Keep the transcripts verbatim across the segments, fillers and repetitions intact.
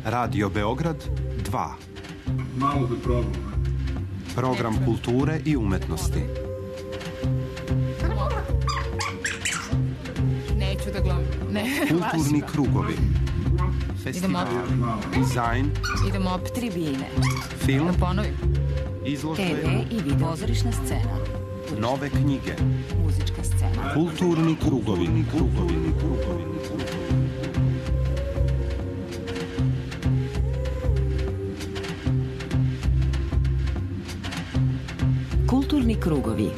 Radio Beograd dva. Malo da probam. Program kulture i umetnosti. Neću da gledam. Ne, kulturni krugovi. Festival, dizajn. Idemo op tribine. Film. Da ponovim. Izložbe. te ve i video. Pozorišna scena. Nove knjige. Muzička scena. Kulturni krugovi. Kulturni krugovi. Kulturni krugovi.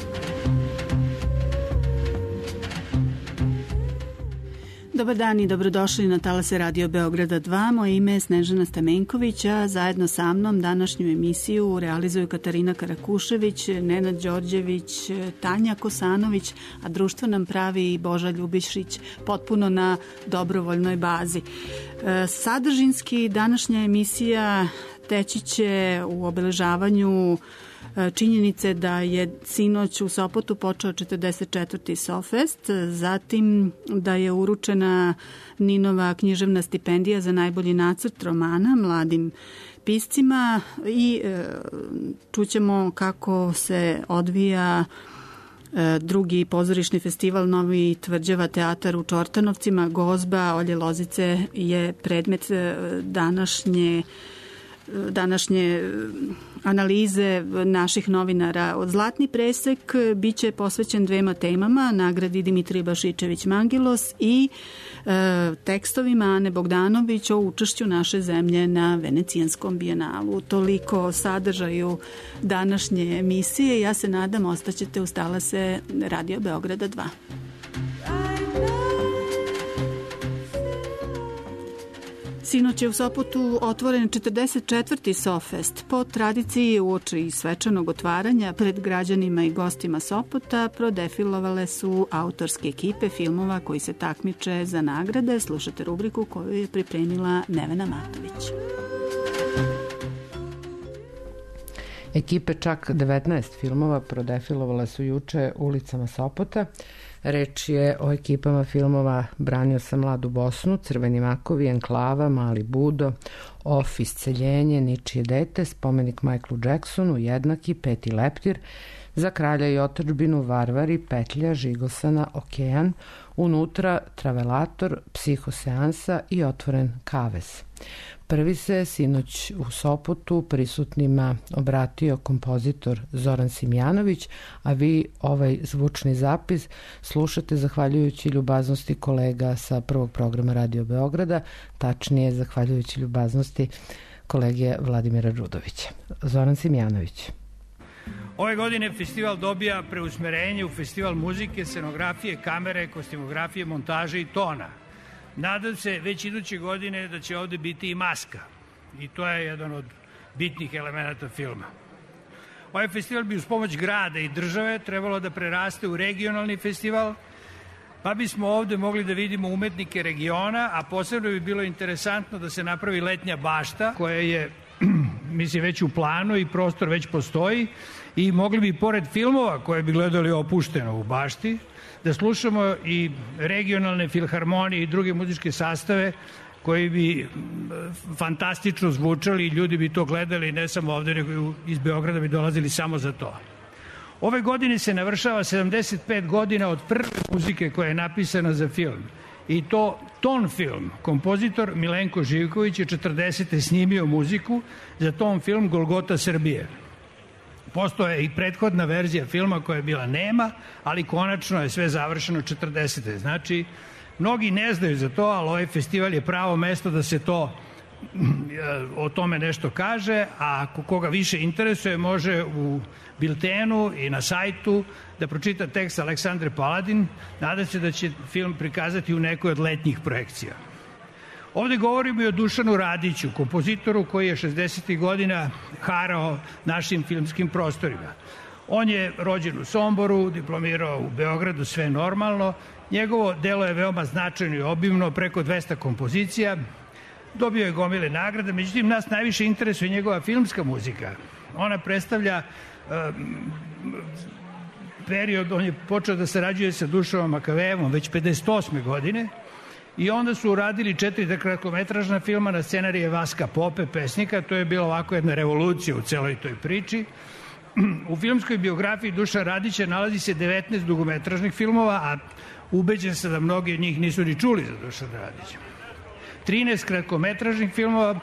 Dobar dan i dobrodošli na talase Radio Beograda dva. Moje ime je Snežana Stamenković, a zajedno sa mnom današnju emisiju realizuju Katarina Karakušević, Nenad Đorđević, Tanja Kosanović, a društvo nam pravi i Boža Ljubišić, potpuno na dobrovoljnoj bazi. Sadržinski današnja emisija teći će u obeležavanju činjenice da je sinoć u Sopotu počeo četrdeset četvrti SOFest, zatim da je uručena Ninova književna stipendija za najbolji nacrt romana mladim piscima i čućemo kako se odvija drugi pozorišni festival Novi Tvrđava teatar u Čortanovcima. Gozba Olje Lozice je predmet današnje današnje analize naših novinara. Od Zlatni presek biće posvećen dvema temama, nagradi Dimitrije Bašičević-Mangilos i e, tekstovima Ane Bogdanović o učešću naše zemlje na Venecijanskom bijenalu. Toliko o sadržaju današnje emisije. Ja se nadam ostaćete uz talase Radio Beograda dva. Sinoć je u Sopotu otvoren četrdeset četvrti SOFest. Po tradiciji uoči svečanog otvaranja pred građanima i gostima Sopota prodefilovale su autorske ekipe filmova koji se takmiče za nagrade. Slušate rubriku koju je pripremila Nevena Matović. Ekipe čak devetnaest filmova prodefilovale su juče ulicama Sopota. Reč je o ekipama filmova Branio sam mladu Bosnu, Crveni makovi, Enklava, Mali Budo, Off, Isceljenje, Ničije dete, Spomenik Michaelu Jacksonu, Jednaki, Peti leptir, Za kralja i otadžbinu, Varvari, Petlja, Žigosana, Okean, Unutra, Travelator, Psihoseansa i Otvoren kavez. Prvi se sinoć u Sopotu prisutnima obratio kompozitor Zoran Simjanović, a vi ovaj zvučni zapis slušate zahvaljujući ljubaznosti kolega sa prvog programa Radio Beograda, tačnije zahvaljujući ljubaznosti kolege Vladimira Đudovića. Zoran Simjanović. Ove godine festival dobija preusmerenje u festival muzike, scenografije, kamere, kostimografije, montaže i tona. Nadam se već iduće godine da će ovde biti i maska. I to je jedan od bitnih elemenata filma. Ovaj festival bi uz pomoć grada i države trebalo da preraste u regionalni festival, pa bismo ovde mogli da vidimo umetnike regiona, a posebno bi bilo interesantno da se napravi letnja bašta koja je, mislim, već u planu i prostor već postoji i mogli bi pored filmova koje bi gledali opušteno u bašti, da slušamo i regionalne filharmonije i druge muzičke sastave koji bi fantastično zvučali i ljudi bi to gledali ne samo ovde, nego iz Beograda bi dolazili samo za to. Ove godine se navršava sedamdeset pet godina od prve muzike koja je napisana za film. I to ton film. Kompozitor Milenko Živković je četrdesete snimio muziku za ton film Golgota Srbije. Postoje i prethodna verzija filma koja je bila nema, ali konačno je sve završeno četrdesete. Znači, mnogi ne znaju za to, ali ovaj festival je pravo mesto da se to o tome nešto kaže, a ako koga više interesuje može u biltenu i na sajtu da pročita tekst Aleksandre Paladin. Nadam se da će film prikazati u nekoj od letnjih projekcija. Ovde govorimo i o Dušanu Radiću, kompozitoru koji je šezdesetih godina harao našim filmskim prostorima. On je rođen u Somboru, diplomirao u Beogradu, sve normalno. Njegovo delo je veoma značajno i obimno, preko dvesta kompozicija. Dobio je gomile nagrade, međutim nas najviše interesuje njegova filmska muzika. Ona predstavlja um, period, on je počeo da sarađuje sa Dušanom Makavejevom već pedeset osme godine i onda su uradili četiri kratkometražna filma na scenarije Vaska Pope, pesnika. To je bila ovako jedna revolucija u celoj toj priči. U filmskoj biografiji Dušana Radića nalazi se devetnaest dugometražnih filmova, a ubeđen sam da mnogi od njih nisu ni čuli za Dušana Radića. trinaest kratkometražnih filmova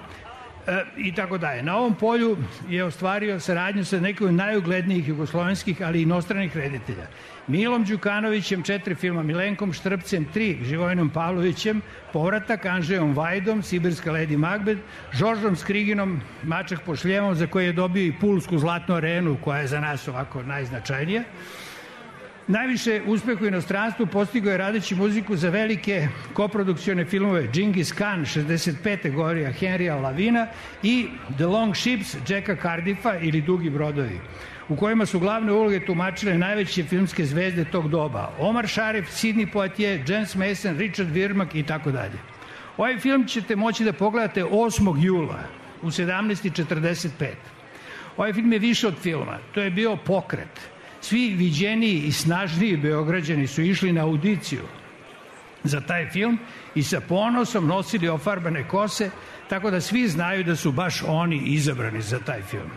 e, i tako dalje. Na ovom polju je ostvario saradnju sa nekim od najuglednijih jugoslovenskih, ali i inostranih reditelja. Milom Đukanovićem četiri filma, Milenkom Štrpcem tri, Živojinom Pavlovićem, Povratak, Anžejom Vajdom, Sibirska Lady Macbeth, Žoržom Skriginom, Mačak po šljevom, za koje je dobio i Pulsku zlatnu arenu, koja je za nas ovako najznačajnija. Najviše uspeha u inostranstvu postigao je radeći muziku za velike koprodukcione filmove Džingis Khan šezdeset pete Gorija Henrya Lavina i The Long Ships Jacka Cardiffa ili Dugi brodovi, u kojima su glavne uloge tumačile najveće filmske zvezde tog doba. Omar Sharif, Sidney Poitier, James Mason, Richard Widmark i tako dalje. Ovaj film ćete moći da pogledate osmog jula u sedamnaest četrdeset pet. Ovaj film je više od filma. To je bio pokret. Svi viđeniji i snažniji Beograđani su išli na audiciju za taj film i sa ponosom nosili ofarbane kose, tako da svi znaju da su baš oni izabrani za taj film.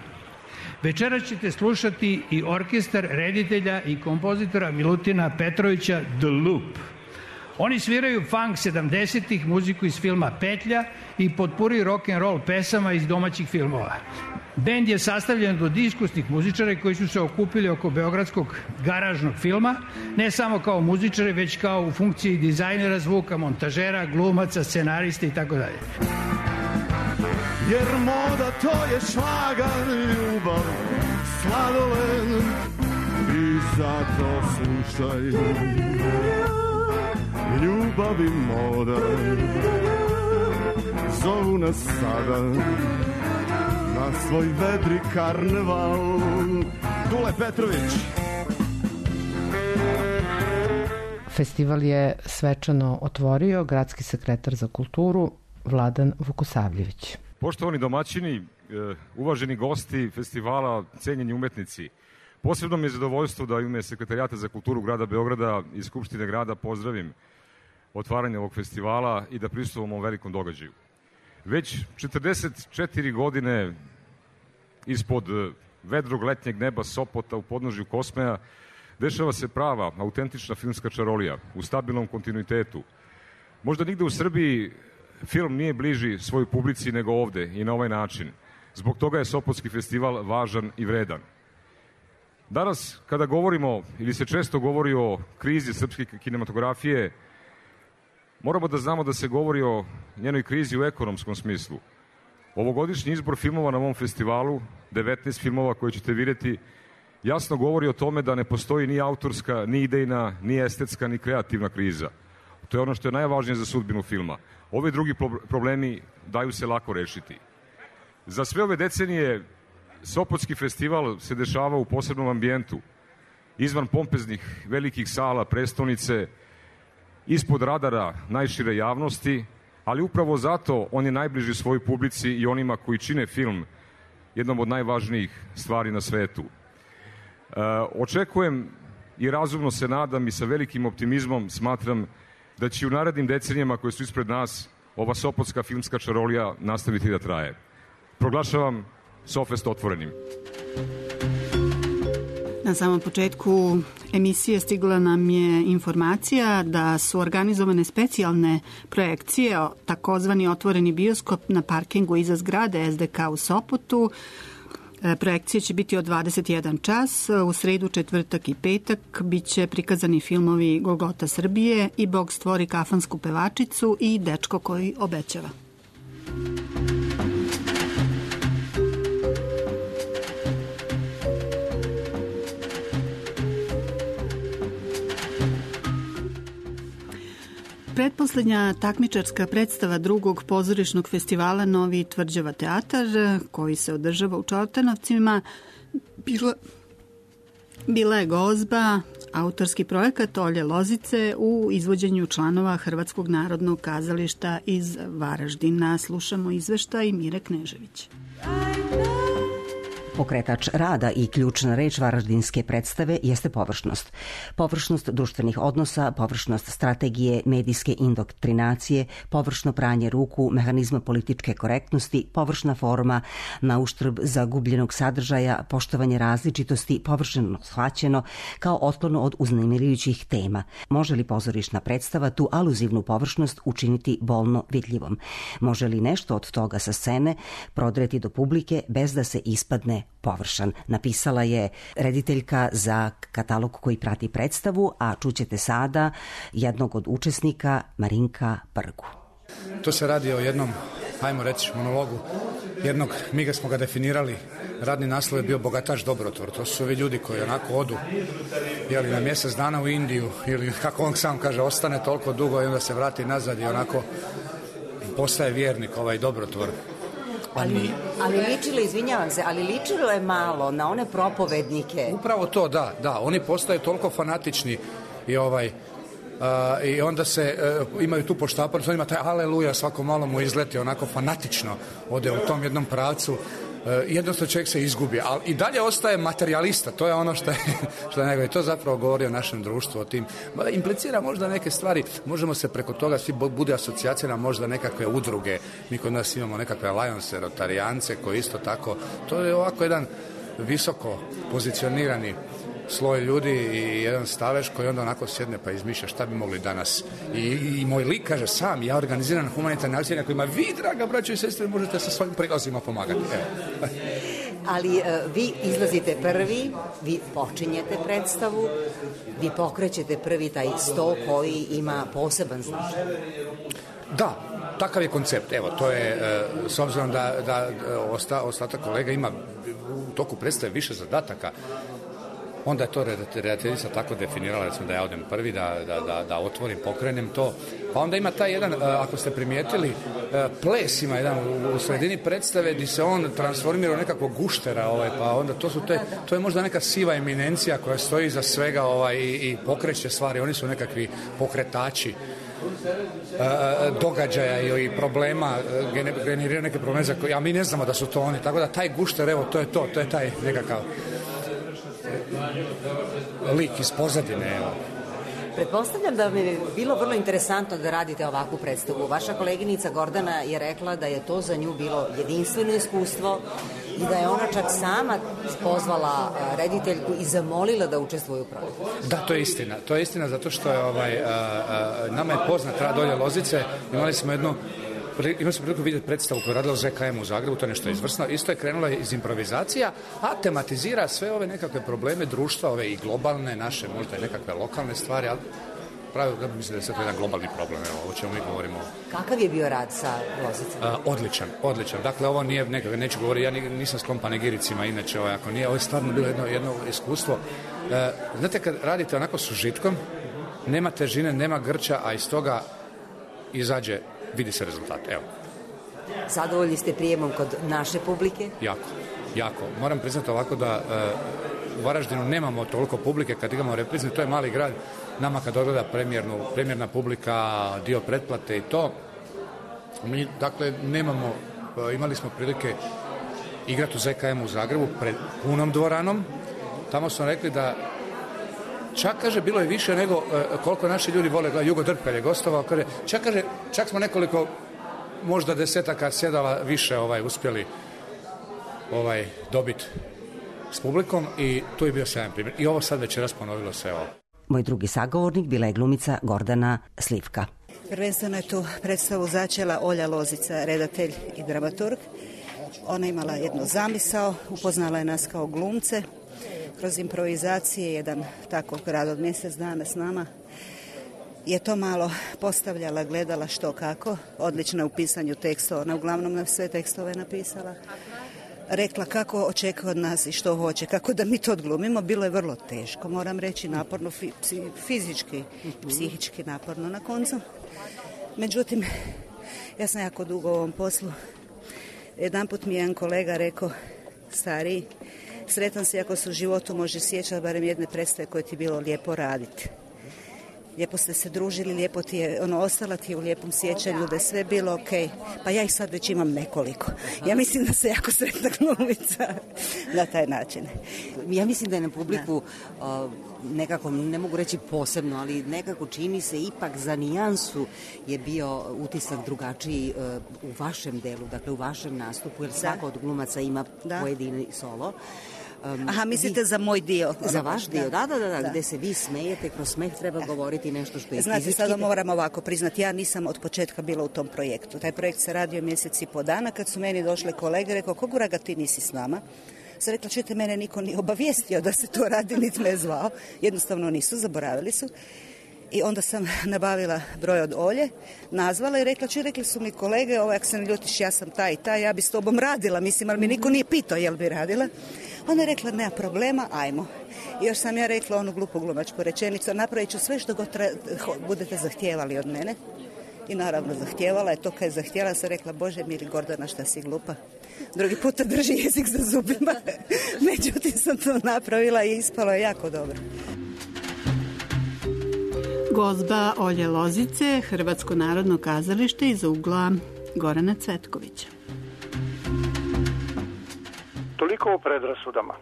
Večeras ćete slušati i orkestar reditelja i kompozitora Milutina Petrovića The Loop. Oni sviraju funk sedamdesetih, muziku iz filma Petlja i potpuri rock and roll pesama iz domaćih filmova. Bend je sastavljen od iskusnih muzičara koji su se okupili oko beogradskog garažnog filma, ne samo kao muzičari, već kao u funkciji dizajnera zvuka, montažera, glumaca, scenarista i tako dalje. Jer moda to je šlagan, ljubav, sladoled i zato slušaj. Ljubav i moda zovu nas sada na svoj vedri karneval. Dule Petrović. Festival je svečano otvorio gradski sekretar za kulturu Vladan Vukosavljević. Poštovani domaćini, uvaženi gosti festivala, cenjeni umetnici, posebno mi je zadovoljstvo da u ime Sekretarijata za kulturu grada Beograda i Skupštine grada pozdravim otvaranje ovog festivala i da prisustvujemo ovom velikom događaju. Već četrdeset četiri godine ispod vedrog letnjeg neba Sopota u podnožju Kosmeja dešava se prava, autentična filmska čarolija u stabilnom kontinuitetu. Možda nigde u Srbiji film nije bliži svojoj publici nego ovde i na ovaj način. Zbog toga je Sopotski festival važan i vredan. Danas, kada govorimo, ili se često govori o krizi srpske kinematografije, moramo da znamo da se govori o njenoj krizi u ekonomskom smislu. Ovogodišnji izbor filmova na ovom festivalu, devetnaest filmova koje ćete vidjeti, jasno govori o tome da ne postoji ni autorska, ni idejna, ni estetska, ni kreativna kriza. To je ono što je najvažnije za sudbinu filma. Ovi drugi problemi daju se lako rešiti. Za sve ove decenije Sopotski festival se dešava u posebnom ambijentu, izvan pompeznih velikih sala prestonice, ispod radara najšire javnosti, ali upravo zato on je najbliži svojoj publici i onima koji čine film jednom od najvažnijih stvari na svetu. E, očekujem i razumno se nadam i sa velikim optimizmom smatram da će u narednim decenijama koje su ispred nas ova Sopotska filmska čarolija nastaviti da traje. Proglašavam Sofest otvorenim. Na samom početku emisije stigla nam je informacija da su organizovane specijalne projekcije, takozvani otvoreni bioskop na parkingu iza zgrade es de ka u Sopotu. Projekcije će biti od dvadeset jedan čas, u sredu, četvrtak i petak biće prikazani filmovi Golgota Srbije i Bog stvori kafansku pevačicu i Dečko koji obećava. Pretposlednja takmičarska predstava drugog pozorišnog festivala Novi Tvrđava teatar, koji se održava u Čortanovcima, bila, bila je gozba, autorski projekat Olje Lozice u izvođenju članova Hrvatskog narodnog kazališta iz Varaždina. Slušamo izveštaj Mire Knežević. Pokretač rada i ključna reč varaždinske predstave jeste površnost. Površnost društvenih odnosa, površnost strategije, medijske indoktrinacije, površno pranje ruku, mehanizma političke korektnosti, površna forma na uštrb zagubljenog sadržaja, poštovanje različitosti, površno shvaćeno kao otklon od uznemirujućih tema. Može li pozorišna predstava tu aluzivnu površnost učiniti bolno vidljivom? Može li nešto od toga sa scene prodreti do publike bez da se ispadne površan? Napisala je rediteljka za katalog koji prati predstavu, a čućete sada jednog od učesnika, Marinka Prgu. To se radi o jednom, ajmo reći, monologu jednog, mi ga smo ga definirali, radni naslov je bio Bogataš Dobrotvor. To su ovi ljudi koji onako odu jeli, na mjesec dana u Indiju ili kako on sam kaže, ostane toliko dugo i onda se vrati nazad i onako postaje vjernik ovaj Dobrotvor. Ali, ali ličilo, izvinjavam se, ali ličilo je malo na one propovednike. Upravo to, da, da. Oni postaju toliko fanatični i ovaj... Uh, i onda se uh, imaju tu poštapar, to ima taj aleluja, svako malo mu izleti onako fanatično, ode u tom jednom pravcu, uh, jednostavno čovjek se izgubi, ali i dalje ostaje materijalista, to je ono što je, što je nego, i to zapravo govori o našem društvu, o tim, implicira možda neke stvari, možemo se preko toga, svi bude asocijacija na možda nekakve udruge, mi kod nas imamo nekakve Lions, Rotarijance koji isto tako, to je ovako jedan visoko pozicionirani sloj ljudi i jedan staveš koji onda onako sjedne pa izmišlja šta bi mogli danas. I, i moj lik kaže sam, ja organiziram humanitarne akcije na kojima vi, draga braćo i sestre, možete sa svojim prilazima pomagati. Evo. Ali uh, vi izlazite prvi, vi počinjete predstavu, vi pokrećete prvi taj sto koji ima poseban značaj. Da, takav je koncept. Evo, to je, uh, s obzirom da, da osta, ostatak kolega ima u toku predstave više zadataka, onda je to redateljica tako definirala, recimo da ja odem prvi, da, da, da, da otvorim, pokrenem to. Pa onda ima taj jedan, ako ste primijetili, ples ima jedan u sredini predstave gdje se on transformira u nekakvog guštera, ovaj, pa onda to su te, to je možda neka siva eminencija koja stoji iza svega ovaj, i, i pokreće stvari, oni su nekakvi pokretači događaja i problema, generiraju neke probleme za koje, a mi ne znamo da su to oni, tako da taj gušter, evo, to je to, to je taj nekakav lik iz pozadine, evo. Pretpostavljam da bi bilo vrlo interesantno da radite ovakvu predstavu. Vaša koleginica Gordana je rekla da je to za nju bilo jedinstveno iskustvo i da je ona čak sama pozvala rediteljku i zamolila da učestvuje u projektu. Da, to je istina. To je istina zato što je ovaj, a, a, nama je poznat rad Olje Lozice. Imali smo jednu Imali smo priliku vidjeti predstavu koju je radila u Z K M u Zagrebu, to je nešto izvrsno. Isto je krenula iz improvizacija, a tematizira sve ove nekakve probleme društva, ove i globalne, naše možda i nekakve lokalne stvari, ali pravi, da mislim da je sve to jedan globalni problem, evo, o čemu mi govorimo. Kakav je bio rad sa Lozicom? A, odličan, odličan. Dakle, ovo nije nekako, neću govoriti, ja nisam sklon panegiricima, inače, ovo, ako nije, ovo je stvarno bilo jedno, jedno iskustvo. E, znate, kad radite onako s užitkom, nema težine, nema grča, a iz toga izađe, vidi se rezultat, evo. Zadovoljni ste prijemom kod naše publike? Jako, jako. Moram priznati ovako da e, u Varaždinu nemamo toliko publike kad imamo reprizne, to je mali grad, nama kad odgleda premijernu, premijerna publika, dio pretplate i to, mi, dakle, nemamo, e, imali smo prilike igrati u Z K M u Zagrebu pred punom dvoranom, tamo smo rekli da čak, kaže, bilo je više nego e, koliko naši ljudi vole, Jugo Drp kad je gostovao, kaže, čak, kaže, čak smo nekoliko, možda desetaka sjedala više ovaj, uspjeli ovaj, dobiti s publikom i tu je bio sjajan primjer. I ovo sad večeras ponovilo se ovo. Moj drugi sagovornik bila je glumica Gordana Slivka. Prvenstveno je tu predstavu začela Olja Lozica, redatelj i dramaturg. Ona imala jednu zamisao, upoznala je nas kao glumce. Kroz improvizacije, jedan tako rad od mjesec dana s nama, je to malo postavljala, gledala što kako, odlično je u pisanju tekstova, ona uglavnom nam sve tekstove napisala, rekla kako očekuje od nas i što hoće, kako da mi to odglumimo, bilo je vrlo teško, moram reći, naporno, fizički, psihički naporno na koncu. Međutim, ja sam jako dugo u ovom poslu, jedanput mi je jedan kolega rekao, stariji, sretan si ako se u životu može sjećati barem jedne predstave koje ti bilo lijepo raditi. lijepo ste se družili, lijepo ti je, ono, ostala ti je u lijepom sjećanju, da je sve bilo ok. Pa ja ih sad već imam nekoliko. Ja mislim da se jako sretna glumica na taj način. Ja mislim da je na publiku uh, nekako, ne mogu reći posebno, ali nekako čini se ipak za nijansu je bio utisak drugačiji uh, u vašem delu, dakle u vašem nastupu, jer svako od glumaca ima da. pojedini solo. Um, Aha, mislite vi, za moj dio? Za vaš dio, da, da, da, da, da, gde se vi smejete, kroz smeh treba govoriti nešto što je Znate, fizički. Znate, sada moram ovako priznati, ja nisam od početka bila u tom projektu. Taj projekt se radio mjesec i po dana, kad su meni došle kolege, rekao, kogura ga ti nisi s nama? Sam rekla, čujte, mene niko nije obavijestio da se to radi, niti me zvao. Jednostavno nisu, zaboravili su. I onda sam nabavila broj od Olje, nazvala i rekla, čuj, rekli su mi kolege, ovo, ako se ne ljutiš, ja sam taj i taj, ja bi s tobom radila, mislim, ali mi niko nije pitao jel bi radila. Ona je rekla, nema problema, ajmo. I još sam ja rekla onu glupu glumačku rečenicu, napravit ću sve što god tra... budete zahtijevali od mene. I naravno zahtijevala je to, kad je zahtijela, sam rekla, Bože mili Gordana, šta si glupa. Drugi puta drži jezik za zubima. Međutim sam to napravila i ispalo je jako dobro. Gozba Olje Lozice, Hrvatsko narodno kazalište iz ugla Gorana Cvetkovića. Toliko o predrasudama.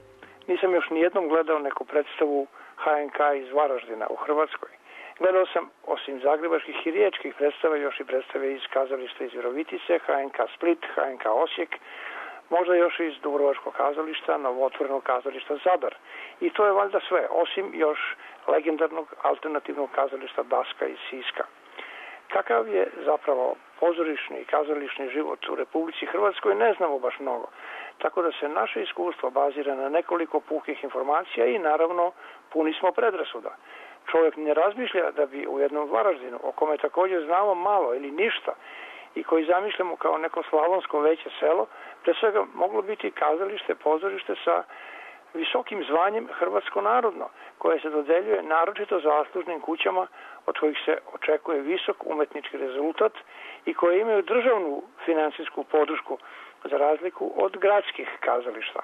Nisam još nijednom gledao neku predstavu ha en ka iz Varaždina u Hrvatskoj. Gledao sam, osim zagrebačkih i riječkih predstava, još i predstave iz kazališta iz Virovitice, ha en ka Split, ha en ka Osijek, možda još iz Dubrovačkog kazališta, novotvorenog kazališta Zadar. I to je valjda sve, osim još legendarnog alternativnog kazališta Daska iz Siska. Kakav je zapravo pozorišni i kazališni život u Republici Hrvatskoj ne znamo baš mnogo. Tako da se naše iskustvo bazira na nekoliko puhih informacija i naravno puni smo predrasuda. Čovjek ne razmišlja da bi u jednom Varaždinu, o kome također znamo malo ili ništa, i koji zamišljamo kao neko slavonsko veće selo, pre svega moglo biti kazalište, pozorište sa visokim zvanjem Hrvatsko narodno, koje se dodeljuje naročito zaslužnim kućama od kojih se očekuje visok umetnički rezultat i koje imaju državnu finansijsku podršku za razliku od gradskih kazališta.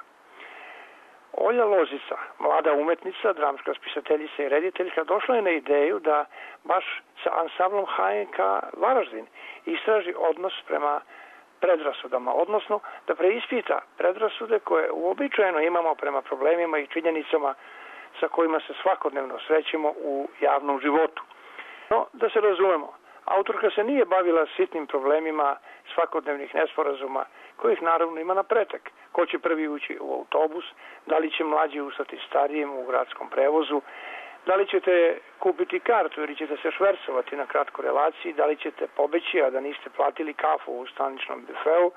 Olja Lozica, mlada umetnica, dramska spisateljica i rediteljka, došla je na ideju da baš sa ansamblom ha en ka Varaždin istraži odnos prema predrasudama, odnosno da preispita predrasude koje uobičajeno imamo prema problemima i činjenicama sa kojima se svakodnevno srećemo u javnom životu. No, da se razumemo, autorka se nije bavila sitnim problemima svakodnevnih nesporazuma, kojih naravno ima na pretek. Ko će prvi ući u autobus, da li će mlađi ustati starijem u gradskom prevozu, da li ćete kupiti kartu ili ćete se švercovati na kratkoj relaciji, da li ćete pobeći, a da niste platili kafu u staničnom bifeu,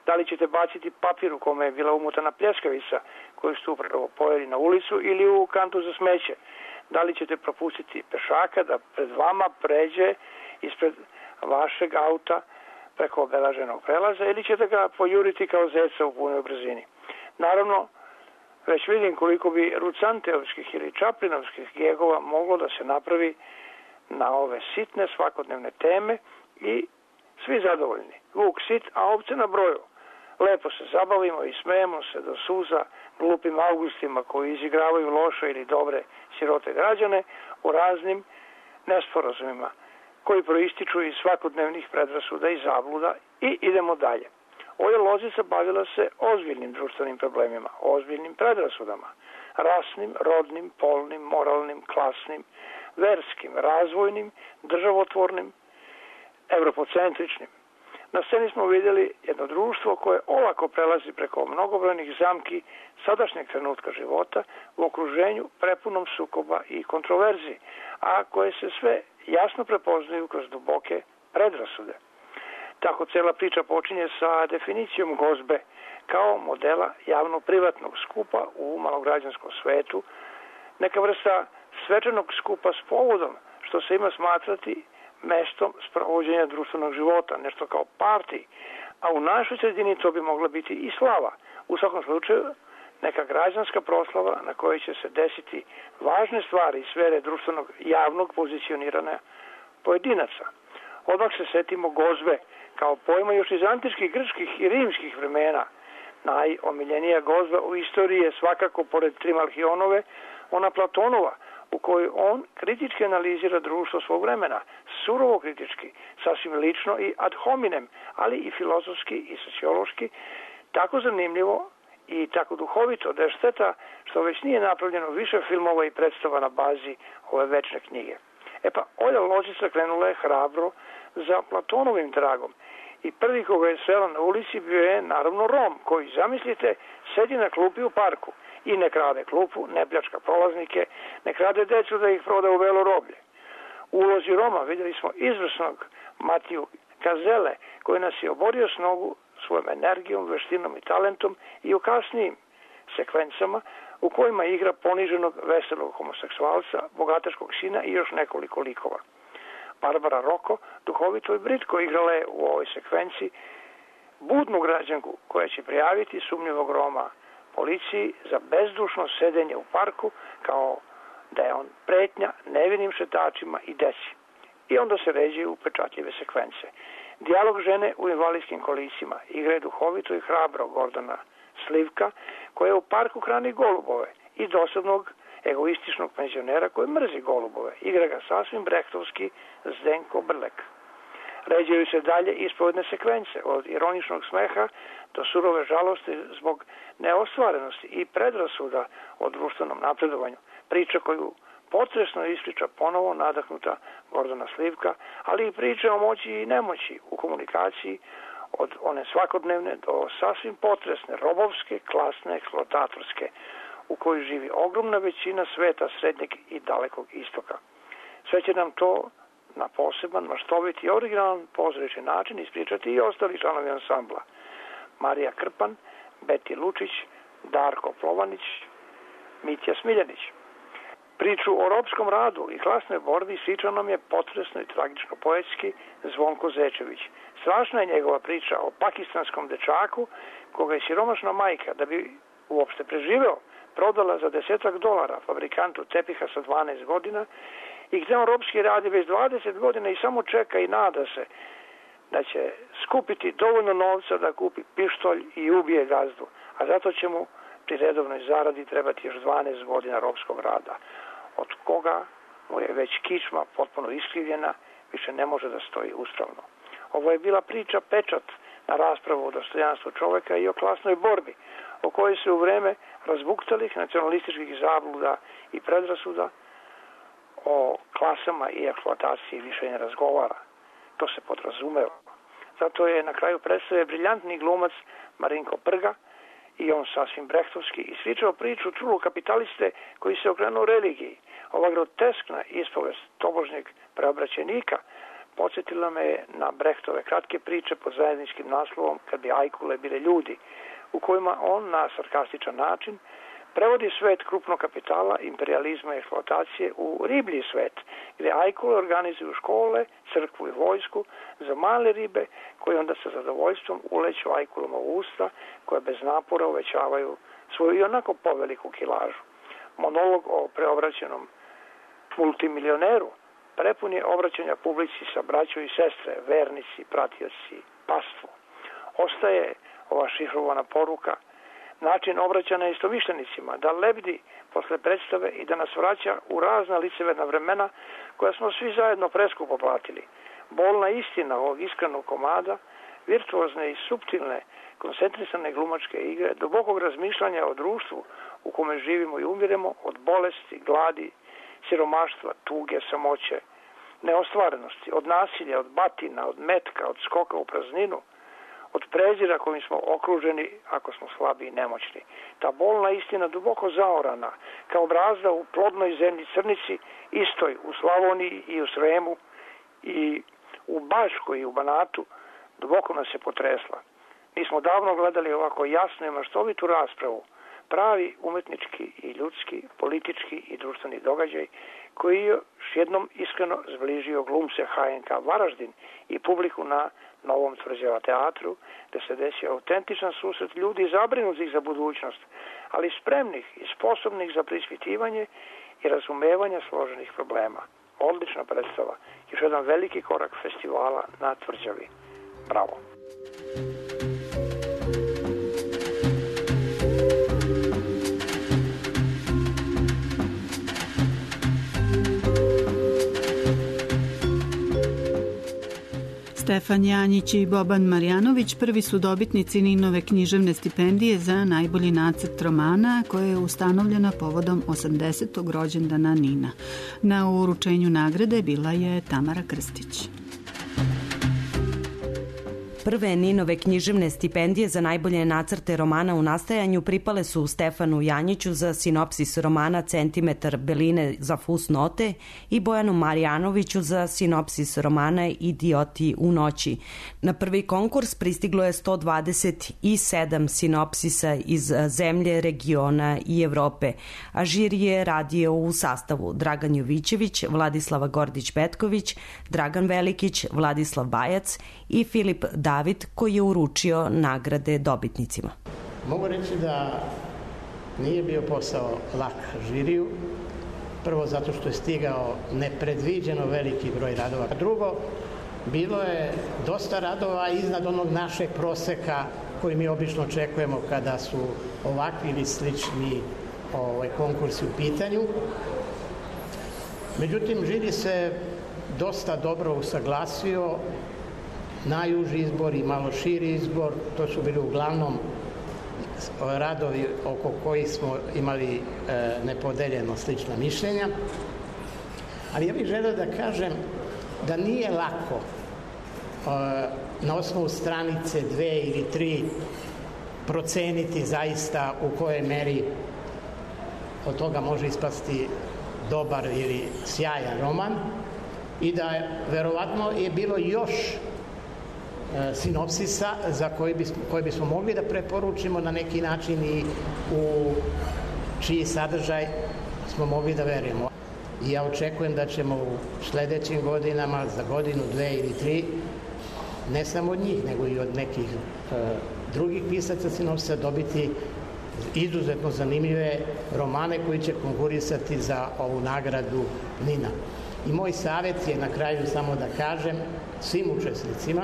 da li ćete baciti papir u kome je bila umutana pljeskavica koju ste upravo pojeli na ulicu ili u kantu za smeće, da li ćete propustiti pešaka da pred vama pređe ispred vašeg auta preko obelaženog prelaza ili ćete ga pojuriti kao zeca u punoj brzini. Naravno, već vidim koliko bi Rucanteovskih ili Čaplinovskih gegova moglo da se napravi na ove sitne svakodnevne teme i svi zadovoljni. Vuk sit, a ovce na broju. Lepo se zabavimo i smejemo se do suza glupim Augustima koji izigravaju loše ili dobre sirote građane u raznim nesporazumima koji proističu iz svakodnevnih predrasuda i zabluda i idemo dalje. Olja Lozica bavila se ozbiljnim društvenim problemima, ozbiljnim predrasudama, rasnim, rodnim, polnim, moralnim, klasnim, verskim, razvojnim, državotvornim, evropocentričnim. Na sceni smo vidjeli jedno društvo koje olako prelazi preko mnogobrojnih zamki sadašnjeg trenutka života u okruženju prepunom sukoba i kontroverzi, a koje se sve jasno prepoznaju kroz duboke predrasude. Tako cela priča počinje sa definicijom gozbe kao modela javno-privatnog skupa u malograđanskom svetu, neka vrsta svečanog skupa s povodom, što se ima smatrati mestom sprovođenja društvenog života, nešto kao parti, a u našoj sredini to bi mogla biti i slava. U svakom slučaju, neka građanska proslava na kojoj će se desiti važne stvari iz sfere društvenog javnog pozicioniranja pojedinaca. Odmah se setimo gozbe kao pojma još iz antičkih, grčkih i rimskih vremena. Najomiljenija gozba u istoriji je svakako, pored Trimalhionove, ona Platonova, u kojoj on kritički analizira društvo svog vremena, surovo kritički, sasvim lično i ad hominem, ali i filozofski i sociološki, tako zanimljivo i tako duhovito da je šteta što već nije napravljeno više filmova i predstava na bazi ove večne knjige. E pa, Olja Lozica krenula je hrabro za Platonovim tragom i prvi koga je srela na ulici bio je naravno Rom, koji, zamislite, sedi na klupi u parku i ne krade klupu, ne pljačka prolaznike, ne krade decu da ih proda u velo roblje. U ulozi Roma vidjeli smo izvrsnog Matiju Gazele, koji nas je oborio s nogu svojom energijom, veštinom i talentom i u kasnijim sekvencama u kojima igra poniženog veselog homoseksualca, bogataškog sina i još nekoliko likova. Barbara Roko, duhovito i britko, igrala je u ovoj sekvenciji budnu građanku koja će prijaviti sumnjivog Roma policiji za bezdušno sedenje u parku kao da je on pretnja nevinim šetačima i deci. I onda se ređe u pečatljive sekvence. Dijalog žene u invalidskim kolicima igra je duhovito i hrabro Gordana Slivka, koja u parku hrani golubove, i dosadnog egoističnog penzionera koji mrzi golubove. Igra ga sasvim brehtovski Zdenko Brlek. Ređaju se dalje ispovedne sekvence, od ironičnog smeha do surove žalosti zbog neostvarenosti i predrasuda o društvenom napredovanju. Priča koju potresno ispriča ponovo nadahnuta Gordana Slivka, ali i priča o moći i nemoći u komunikaciji, od one svakodnevne do sasvim potresne, robovske, klasne, eksploatatorske, u kojoj živi ogromna većina sveta srednjeg i dalekog istoka. Sve će nam to na poseban, maštovit i originalan pozorišni način ispričati i ostali članovi ansambla. Marija Krpan, Beti Lučić, Darko Plovanić, Mitja Smiljanić. Priču o ropskom radu i klasnoj borbi ispričao nam je potresno i tragično poetski Zvonko Zečević. Strašna je njegova priča o pakistanskom dečaku koga je siromašna majka, da bi uopšte preživeo, prodala za desetak dolara fabrikantu tepiha sa dvanaest godina i gde on ropski radi već dvadeset godina i samo čeka i nada se da će skupiti dovoljno novca da kupi pištolj i ubije gazdu, a zato će mu pri redovnoj zaradi trebati još dvanaest godina ropskog rada, od koga mu je već kičma potpuno iskrivljena, više ne može da stoji uspravno. Ovo je bila priča pečat na raspravu o dostojanstvu čoveka i o klasnoj borbi, o kojoj se u vreme razbuktalih nacionalističkih zabluda i predrasuda o klasama i eksploataciji više ne razgovara. To se podrazumeva. Zato je na kraju predstave briljantni glumac Marinko Prga, i on sasvim brehtovski, ispričao priču trulog kapitaliste koji se okrenuo religiji. Ova groteskna ispovest tobožnjeg preobraćenika podsjetila me je na Brehtove kratke priče pod zajedničkim naslovom Kad bi ajkule bile ljudi, u kojima on na sarkastičan način prevodi svet krupnog kapitala, imperializma i eksploatacije u riblji svet, gde ajkule organizuju škole, crkvu i vojsku za male ribe koje onda sa zadovoljstvom uleću ajkulama u usta, koje bez napora uvećavaju svoju i onako poveliku kilažu. Monolog o preobraćenom multimilioneru prepun je obraćanja publici sa braćom i sestre, vernici, pratioci, pastvo. Ostaje ova šifrovana poruka, način obraćanja istomišljenicima, da lebdi posle predstave i da nas vraća u razna liceverna vremena koja smo svi zajedno preskupo platili. Bolna istina ovog iskrenog komada, virtuozne i suptilne, koncentrisane glumačke igre, dubokog razmišljanja o društvu u kome živimo i umiremo, od bolesti, gladi, siromaštva, tuge, samoće, neostvarenosti, od nasilja, od batina, od metka, od skoka u prazninu, od prezira kojim smo okruženi ako smo slabi i nemoćni. Ta bolna istina duboko zaorana, kao brazda u plodnoj zemlji Crnici, istoj u Slavoniji i u Sremu i u Baškoj i u Banatu, duboko nas je potresla. Mi smo davno gledali ovako jasnu i maštovitu raspravu, pravi umetnički i ljudski, politički i društveni događaj koji je još jednom iskreno zbližio glumce H N K Varaždin i publiku na Novom Tvrđava teatru, gde se desio autentičan susret ljudi zabrinutih za budućnost, ali spremnih i sposobnih za preispitivanje i razumevanje složenih problema. Odlična predstava, još jedan veliki korak festivala na Tvrđavi. Bravo! Stefan Janjić i Boban Marjanović prvi su dobitnici Ninove književne stipendije za najbolji nacrt romana koja je ustanovljena povodom osamdesetog rođendana Nina. Na uručenju nagrade bila je Tamara Krstić. Prve Ninove književne stipendije za najbolje nacrte romana u nastajanju pripale su Stefanu Janjiću za sinopsis romana Centimetar beline za fusnote i Bojanu Marjanoviću za sinopsis romana Idioti u noći. Na prvi konkurs pristiglo je sto dvadeset sedam sinopsisa iz zemlje, regiona i Evrope, a žiri je radio u sastavu Dragan Jovićević, Vladislava Gordić-Petković, Dragan Velikić, Vladislav Bajac i Filip David, koji je uručio nagrade dobitnicima. Mogu reći da nije bio posao lak žiriju, prvo zato što je stigao nepredviđeno veliki broj radova. Drugo, bilo je dosta radova iznad onog našeg proseka koji mi obično očekujemo kada su ovakvi ili slični ovaj, konkursi u pitanju. Međutim, žiri se dosta dobro usaglasio, najuži izbor i malo širi izbor, to su bili uglavnom radovi oko kojih smo imali e, nepodeljeno slična mišljenja. Ali ja bih želeo da kažem da nije lako e, na osnovu stranice dve ili tri proceniti zaista u kojoj meri od toga može ispasti dobar ili sjajan roman i da je, verovatno je bilo još sinopsisa za koje bismo, koje bismo mogli da preporučimo na neki način i u čiji sadržaj smo mogli da verujemo. I ja očekujem da ćemo u sledećim godinama, za godinu, dve ili tri, ne samo od njih, nego i od nekih e, drugih pisaca sinopsisa dobiti izuzetno zanimljive romane koji će konkurisati za ovu nagradu Nina. I moj savjet je na kraju samo da kažem svim učesnicima,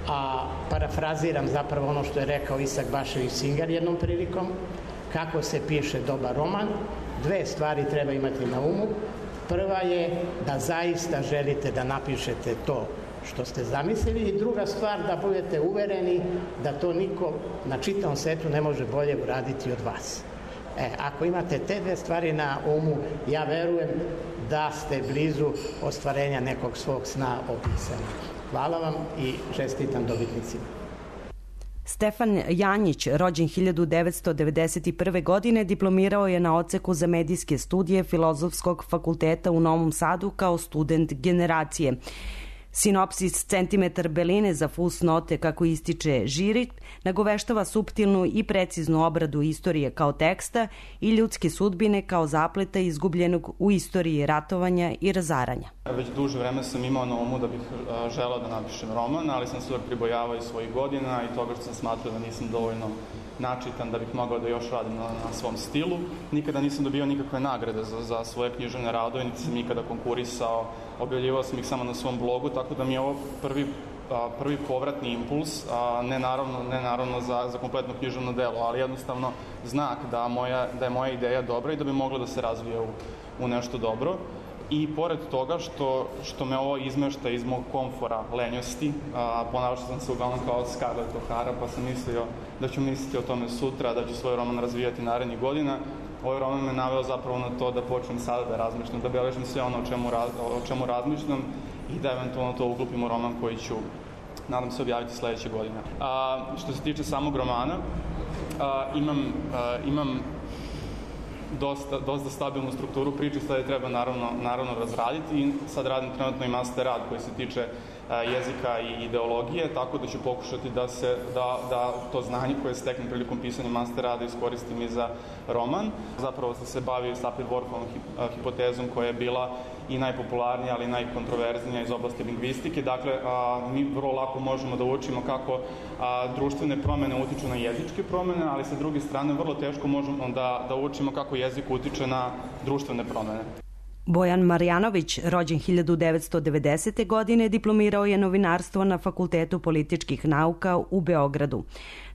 a parafraziram zapravo ono što je rekao Isak Bašević Singar jednom prilikom, kako se piše dobar roman, dve stvari treba imati na umu. Prva je da zaista želite da napišete to što ste zamislili i druga stvar da budete uvereni da to niko na čitavom svetu ne može bolje uraditi od vas. E, ako imate te dve stvari na umu, ja verujem da ste blizu ostvarenja nekog svog sna opisanja. Hvala vam i čestitam dobitnicima. Stefan Janjić, rođen hiljadu devetsto devedeset prve. godine, diplomirao je na odseku za medijske studije Filozofskog fakulteta u Novom Sadu kao student generacije. Sinopsis Centimetar beline za fusnote, kako ističe žiri, nagoveštava suptilnu i preciznu obradu istorije kao teksta i ljudske sudbine kao zapleta izgubljenog u istoriji ratovanja i razaranja. Već duže vreme sam imao na umu da bih želeo da napišem roman, ali sam se uvek pribojavao i svojih godina i toga što sam smatrao da nisam dovoljno načitan da bih mogao da još radim na, na svom stilu. Nikada nisam dobio nikakve nagrade za, za svoje književne radove, niti sam nikada konkurisao, objavljivao sam ih samo na svom blogu, tako da mi je ovo prvi, a, prvi povratni impuls, a, ne naravno, ne naravno za, za kompletno književno delo, ali jednostavno znak da, moja, da je moja ideja dobra i da bi mogla da se razvije u, u nešto dobro. I pored toga što, što me ovo izmešta iz mog komfora lenjosti, a, ponašao sam se uglavnom kao Scarlett O'Hara, pa sam mislio da ću misliti o tome sutra, da ću svoj roman razvijati narednih godina. Ovaj roman me naveo zapravo na to da počnem sada da razmišljam, da beležim sve ono o čemu, raz, o čemu razmišljam i da eventualno to uklopim u roman koji ću, nadam se, objaviti sledeće godine. A, što se tiče samog romana, a, imam, a, imam dosta, dosta stabilnu strukturu priče, sad je treba naravno, naravno razraditi i sad radim trenutno i master rad koji se tiče a, jezika i ideologije, tako da ću pokušati da, se, da, da to znanje koje steknem prilikom pisanja master rada iskoristim i za roman. Zapravo sam se bavio Sapir-Whorfovom hipotezom koja je bila i najpopularnija, ali i najkontroverznija iz oblasti lingvistike. Dakle, a, mi vrlo lako možemo da učimo kako a, društvene promene utiču na jezičke promene, ali sa druge strane vrlo teško možemo da, da učimo kako jezik utiče na društvene promene. Bojan Marjanović, rođen hiljadu devetsto devedesete. godine, diplomirao je novinarstvo na Fakultetu političkih nauka u Beogradu.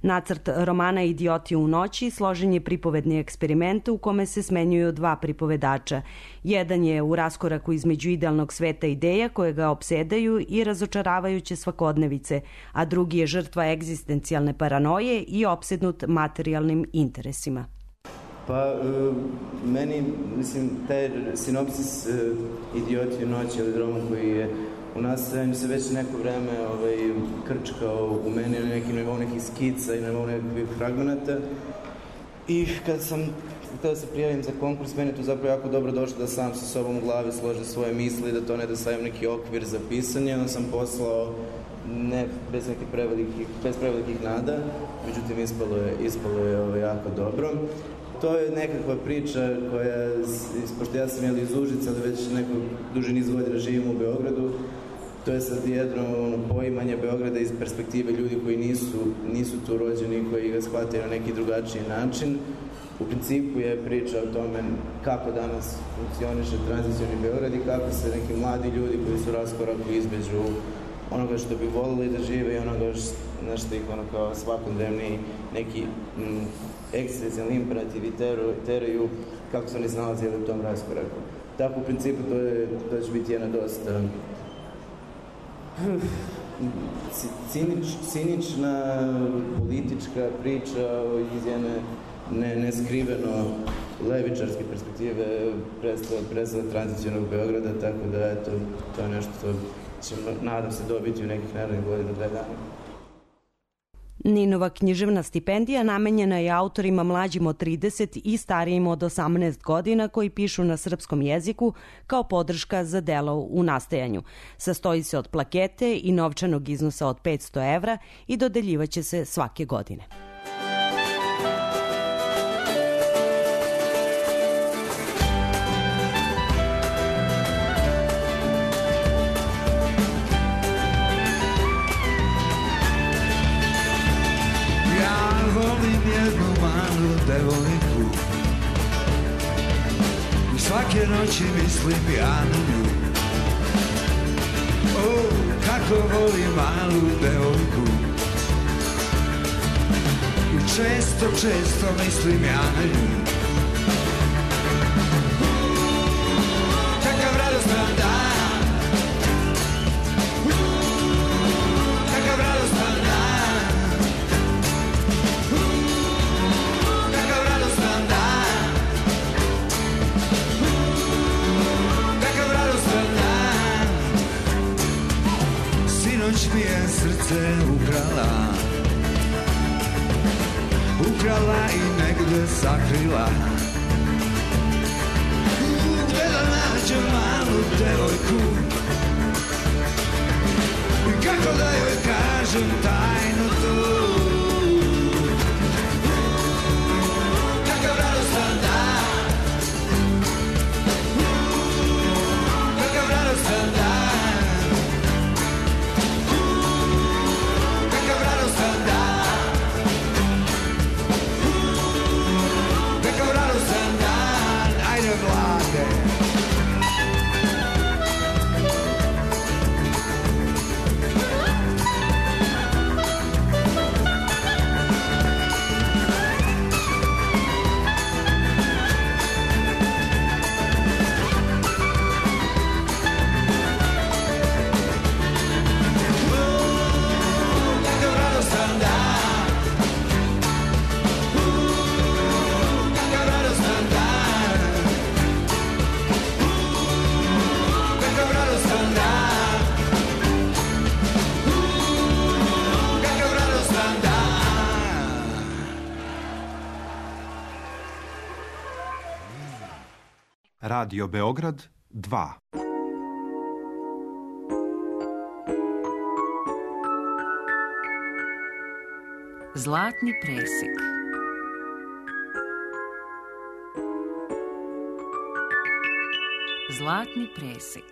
Nacrt romana Idioti u noći složen je pripovedni eksperiment u kome se smenjuju dva pripovedača. Jedan je u raskoraku između idealnog sveta ideja koje ga opsedaju i razočaravajuće svakodnevice, a drugi je žrtva egzistencijalne paranoje i opsednut materijalnim interesima. Pa, uh, meni, mislim, taj sinopsis uh, Idioti u noći, ili roman koji je u nastajanju se već neko vreme ovaj, krčkao u meni na nekim nivou nekih skica i na nivou nekih fragmenata. I kad sam htio da se prijavim za konkurs, meni je to zapravo jako dobro došlo da sam sa sobom u glavi složim svoje misli, da to ne da stavim neki okvir za pisanje. Onda sam poslao ne bez nekih prevelikih, bez prevelikih nada, međutim ispalo je, ispalo je ovaj, jako dobro. To je nekakva priča koja, pošto ja sam jel iz Užica, ali već neko duži niz godina živim u Beogradu, to je sad jedno ono, poimanje Beograda iz perspektive ljudi koji nisu, nisu tu rođeni, koji ga shvataju na neki drugačiji način. U principu je priča o tome kako danas funkcioniše tranzicioni Beograd i kako se neki mladi ljudi koji su raskoraku između onoga što bi volili da žive i onoga na što ih ono kao svakodnevni neki mm, egzistencijalni imperativi teraju, kako su oni snalazili u tom raskoraku. Tako u principu to, je, to će biti jedna dosta cinič, cinična politička priča iz jedne ne, neskriveno levičarske perspektive predstava tranzicionog Beograda, tako da eto, to je nešto što ćemo, nadam se, dobiti u nekih narednih godina dve dana. Ninova književna stipendija namenjena je autorima mlađim od trideset i starijim od osamnaest godina koji pišu na srpskom jeziku kao podrška za delo u nastajanju. Sastoji se od plakete i novčanog iznosa od petsto evra i dodeljivaće se svake godine. Devojku i svake noći mislim ja na nju. O, kako volim malu devojku i često, često mislim ja na nju. Kakav radostan dan, kakav radostan dan. Sinoć mi je srce ukrala, ukrala i negde sakrila. Gde da nađem malu devojku i kako da joj kažem tajno to. Kakav radostan dan, kakav radostan dan. Radio Beograd dva. Zlatni presek. Zlatni presek.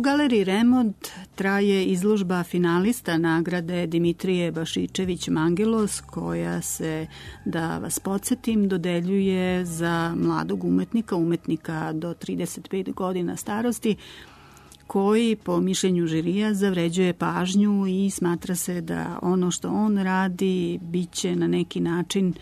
galeriji Remont traje izložba finalista nagrade Dimitrije Bašičević Mangelos, koja se, da vas podsjetim, dodeljuje za mladog umetnika, umetnika do trideset pet godina starosti, koji po mišljenju žirija zavređuje pažnju i smatra se da ono što on radi biće na neki način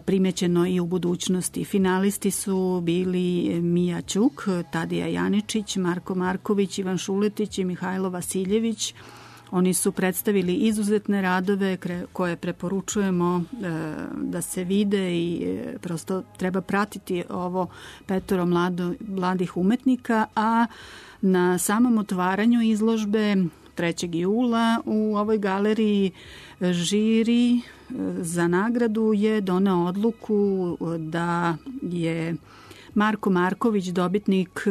primećeno i u budućnosti. Finalisti su bili Mija Ćuk, Tadija Janičić, Marko Marković, Ivan Šuletić i Mihajlo Vasiljević. Oni su predstavili izuzetne radove koje preporučujemo da se vide i prosto treba pratiti ovo petoro mlado, mladih umetnika, a na samom otvaranju izložbe trećeg jula u ovoj galeriji žiri za nagradu je doneo odluku da je Marko Marković dobitnik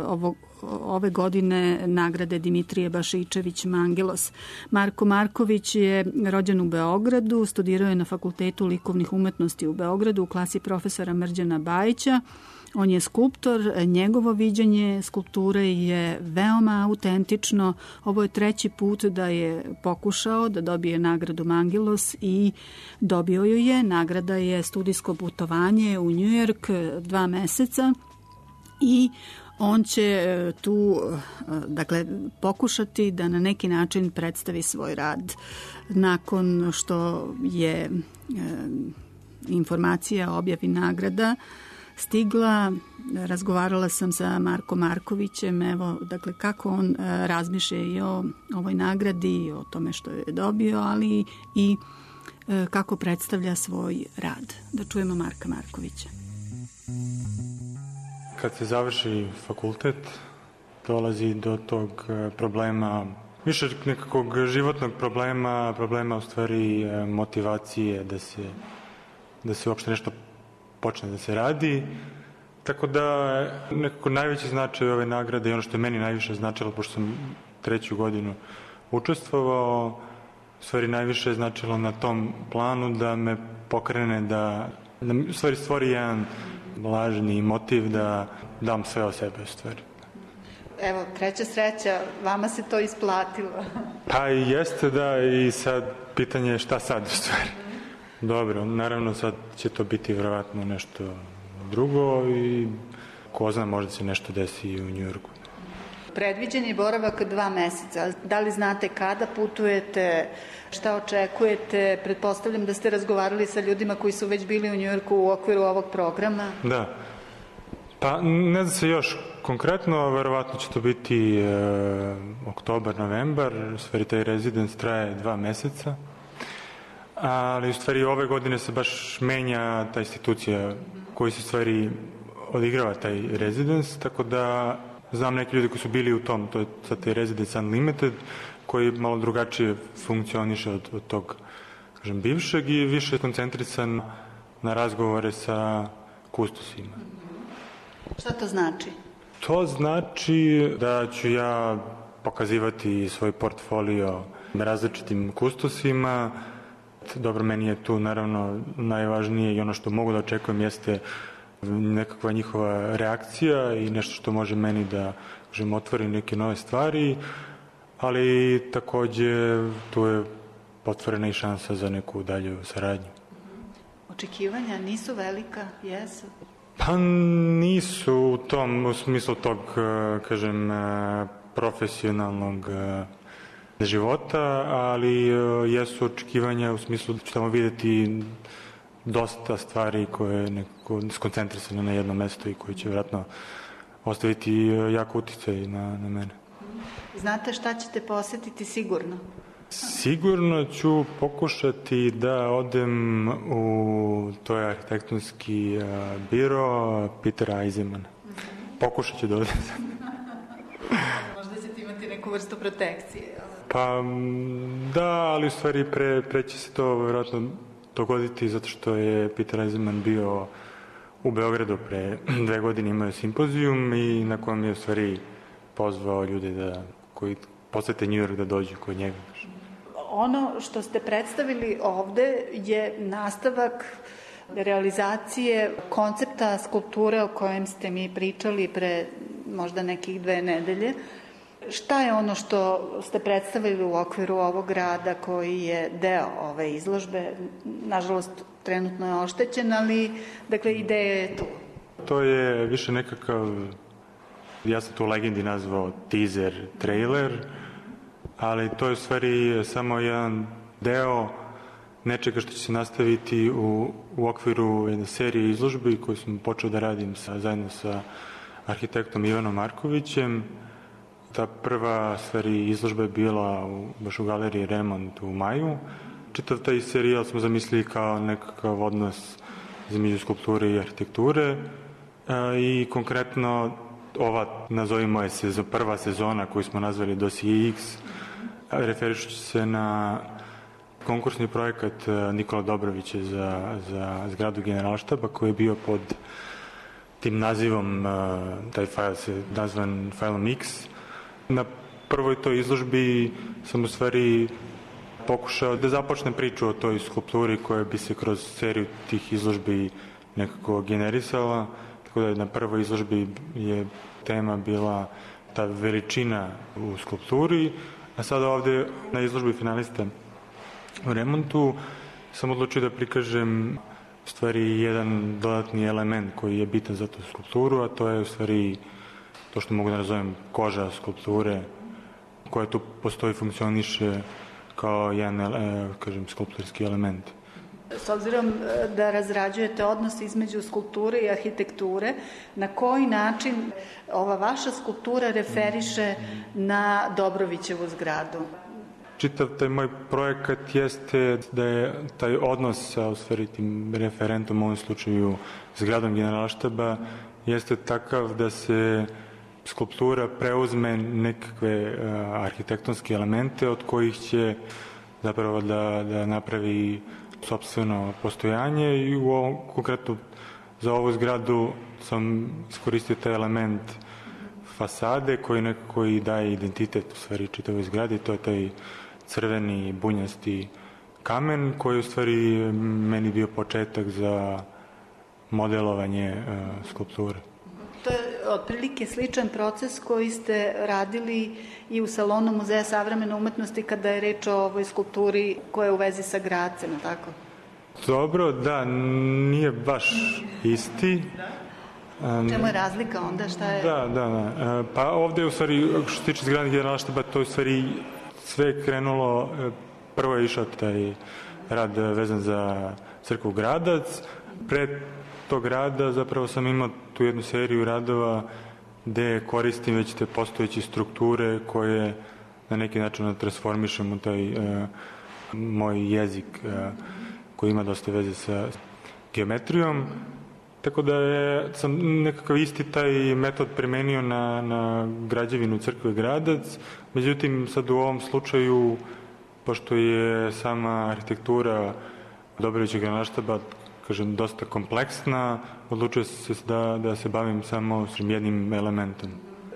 ovog ove godine nagrade Dimitrije Bašičević Mangelos. Marko Marković je rođen u Beogradu, studirao je na Fakultetu likovnih umetnosti u Beogradu u klasi profesora Mrđana Bajića. On je skulptor, njegovo viđenje skulpture je veoma autentično. Ovo je treći put da je pokušao da dobije nagradu Mangelos i dobio ju je. Nagrada je studijsko putovanje u Njujork dva meseca i on će tu, dakle, pokušati da na neki način predstavi svoj rad. Nakon što je e, informacija o objavi nagrada stigla, razgovarala sam sa Markom Markovićem, evo, dakle, kako on e, razmišlja i o ovoj nagradi, o tome što je dobio, ali i e, kako predstavlja svoj rad. Da čujemo Marka Markovića. Kad se završi fakultet, dolazi do tog problema, više nekakvog životnog problema, problema u stvari motivacije da se, da se uopšte nešto počne da se radi. Tako da nekako najveći značaj ove nagrade i ono što je meni najviše značilo, pošto sam treću godinu učestvovao, u stvari najviše je značilo na tom planu da me pokrene, da, da u stvari stvori jedan lažni motiv da dam sve o sebe u stvari. Evo, treća sreća, vama se to isplatilo. Pa i jeste, da, i sad pitanje je šta sad u stvari. Dobro, naravno sad će to biti vjerovatno nešto drugo i ko zna, možda se nešto desi i u Njujorku. Predviđen je boravak dva meseca. Da li znate kada putujete, šta očekujete? Pretpostavljam da ste razgovarali sa ljudima koji su već bili u Njujorku u okviru ovog programa. Da. Pa ne zna se još konkretno, verovatno će to biti e, oktobar, novembar, u stvari taj rezidens traje dva meseca, ali u stvari ove godine se baš menja ta institucija koji se u stvari odigrava taj rezidens, tako da znam neki ljudi koji su bili u tom, to je sad taj Residence Unlimited, koji malo drugačije funkcioniše od, od tog, kažem, bivšeg i više koncentrisan na razgovore sa kustosima. Šta to znači? To znači da ću ja pokazivati svoj portfolio različitim kustosima. Dobro, meni je tu naravno najvažnije i ono što mogu da očekujem jeste nekakva njihova reakcija i nešto što može meni da, kažem, otvori neke nove stvari, ali takođe tu je otvorena i šansa za neku dalju saradnju. Očekivanja nisu velika, jesu? Pa nisu u tom, u smislu tog, kažem, profesionalnog života, ali jesu očekivanja u smislu da ću tamo videti dosta stvari koje je nekako skoncentrisane na jedno mesto i koje će vjerojatno ostaviti jako uticaj na, na mene. Znate šta ćete posetiti sigurno? Sigurno ću pokušati da odem u toj arhitektonski biro Petera Eisenmana. Pokušat ću da odem. Možda ćete imati neku vrstu protekcije. Pa da, ali u stvari pre, pre će se to vjerojatno dogoditi zato što je Peter Eisenman bio u Beogradu pre dve godine, imao simpozijum i na kojem je u stvari pozvao ljude da, koji posete New York da dođu kod njega. Ono što ste predstavili ovde je nastavak realizacije koncepta skulpture o kojem ste mi pričali pre možda nekih dve nedelje. Šta je ono što ste predstavili u okviru ovog rada koji je deo ove izložbe? Nažalost, trenutno je oštećen, ali dakle, ideja je tu. To je više nekakav, ja sam to u Legendi nazvao teaser, trailer, ali to je u stvari samo jedan deo nečega što će se nastaviti u, u okviru jedne serije izložbi koju sam počeo da radim sa, zajedno sa arhitektom Ivanom Markovićem. Ta prva stvari izložba je bila u, baš u galeriji Remont u maju. Čitav taj serijal smo zamislili kao nekakav odnos između skulpture i arhitekture e, i konkretno ova, nazovimo je sezon, prva sezona koju smo nazvali Dosije X, referišući se na konkursni projekat Nikola Dobrovića za, za zgradu Generalštaba koji je bio pod tim nazivom, taj fajl se nazvan fajlom X. Na prvoj toj izložbi sam u stvari pokušao da započnem priču o toj skulpturi koja bi se kroz seriju tih izložbi nekako generisala. Tako da na prvoj izložbi je tema bila ta veličina u skulpturi, a sada ovde na izložbi finalista u Remontu sam odlučio da prikažem u stvari jedan dodatni element koji je bitan za tu skulpturu, a to je u stvari to što mogu da nazovem koža skulpture koja tu postoji, funkcioniše kao jedan, kažem, skulpturski element. S obzirom da razrađujete odnos između skulpture i arhitekture, na koji način ova vaša skulptura referiše na Dobrovićevu zgradu? Čitav taj moj projekat jeste da je taj odnos sa u stvari tim referentom, u ovom slučaju zgradom Generalštaba, jeste takav da se skulptura preuzme nekakve uh, arhitektonske elemente od kojih će zapravo da, da napravi sopstveno postojanje i u ovom, konkretno za ovu zgradu sam iskoristio taj element fasade koji nekako i daje identitet u stvari čitavoj zgradi, to je taj crveni bunjasti kamen koji je u stvari meni bio početak za modelovanje uh, skulpture. To je otprilike sličan proces koji ste radili i u salonu Muzeja savremene umetnosti kada je reč o ovoj skulpturi koja je u vezi sa Gradcem, tako? Dobro, da, nije baš isti. Da. Čemu je razlika onda? Šta je? Da, da, da. Pa ovde je u stvari, što se tiče zgrade Generalštaba, to je u stvari sve krenulo, prvo je išao taj rad vezan za crkvu Gradac, pre tog rada zapravo sam imao tu jednu seriju radova gde koristim već te postojeće strukture koje na neki način transformišem u taj uh, moj jezik uh, koji ima dosta veze sa geometrijom. Tako da je, sam nekakav isti taj metod primenio na, na građevinu crkve Gradac, međutim sad u ovom slučaju, pošto je sama arhitektura Dobrovićevog Generalštaba, kažem, dosta kompleksna, odlučio se da, da se bavim samo s jednim elementom.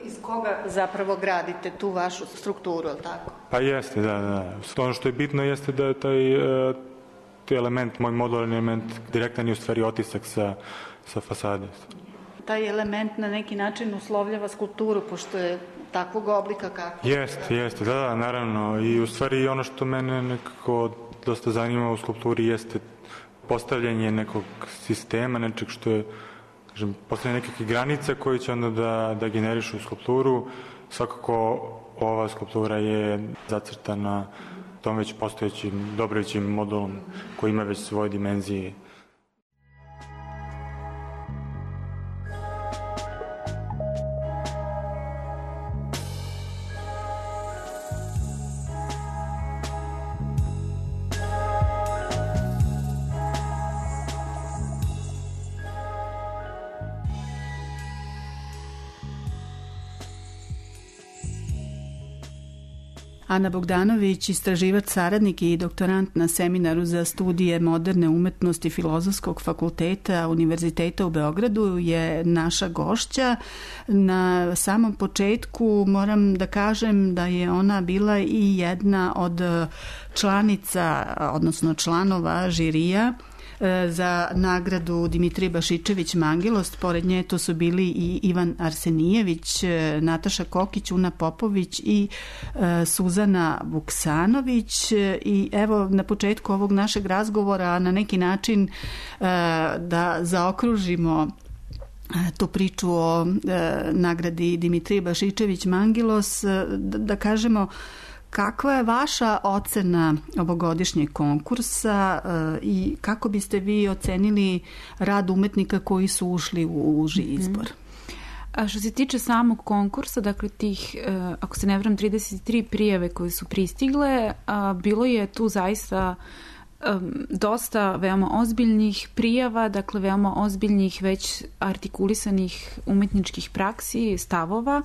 Iz koga zapravo gradite tu vašu strukturu, ali tako? Pa jeste, da, da. Ono što je bitno jeste da je taj, taj element, moj modularni element, direktan je u stvari otisak sa, sa fasade. Taj element na neki način uslovljava skulpturu, pošto je takvog oblika kako? Jeste, jeste, da, da, naravno. I u stvari ono što mene nekako dosta zanima u skulpturi jeste postavljanje nekog sistema, nečeg što je, kažem, postavljanje nekakve granice koje će onda da, da generišu skulpturu. Svakako ova skulptura je zacrtana tom već postojećim Dobrovićevim modulom koji ima već svoje dimenzije. Ana Bogdanović, istraživač, saradnik i doktorant na seminaru za studije moderne umetnosti Filozofskog fakulteta Univerziteta u Beogradu, je naša gošća. Na samom početku moram da kažem da je ona bila i jedna od članica, odnosno članova žirija za nagradu Dimitrije Bašičević Mangilost. Pored nje to su bili i Ivan Arsenijević, Nataša Kokić, Una Popović i Suzana Vuksanović. I evo, na početku ovog našeg razgovora na neki način da zaokružimo tu priču o nagradi Dimitrije Bašičević Mangilos, da kažemo kakva je vaša ocena ovogodišnjeg konkursa i kako biste vi ocenili rad umetnika koji su ušli u uži izbor? A što se tiče samog konkursa, dakle tih, ako se ne varam, trideset tri prijave koje su pristigle, bilo je tu zaista dosta veoma ozbiljnih prijava, dakle veoma ozbiljnih već artikulisanih umetničkih praksi, stavova.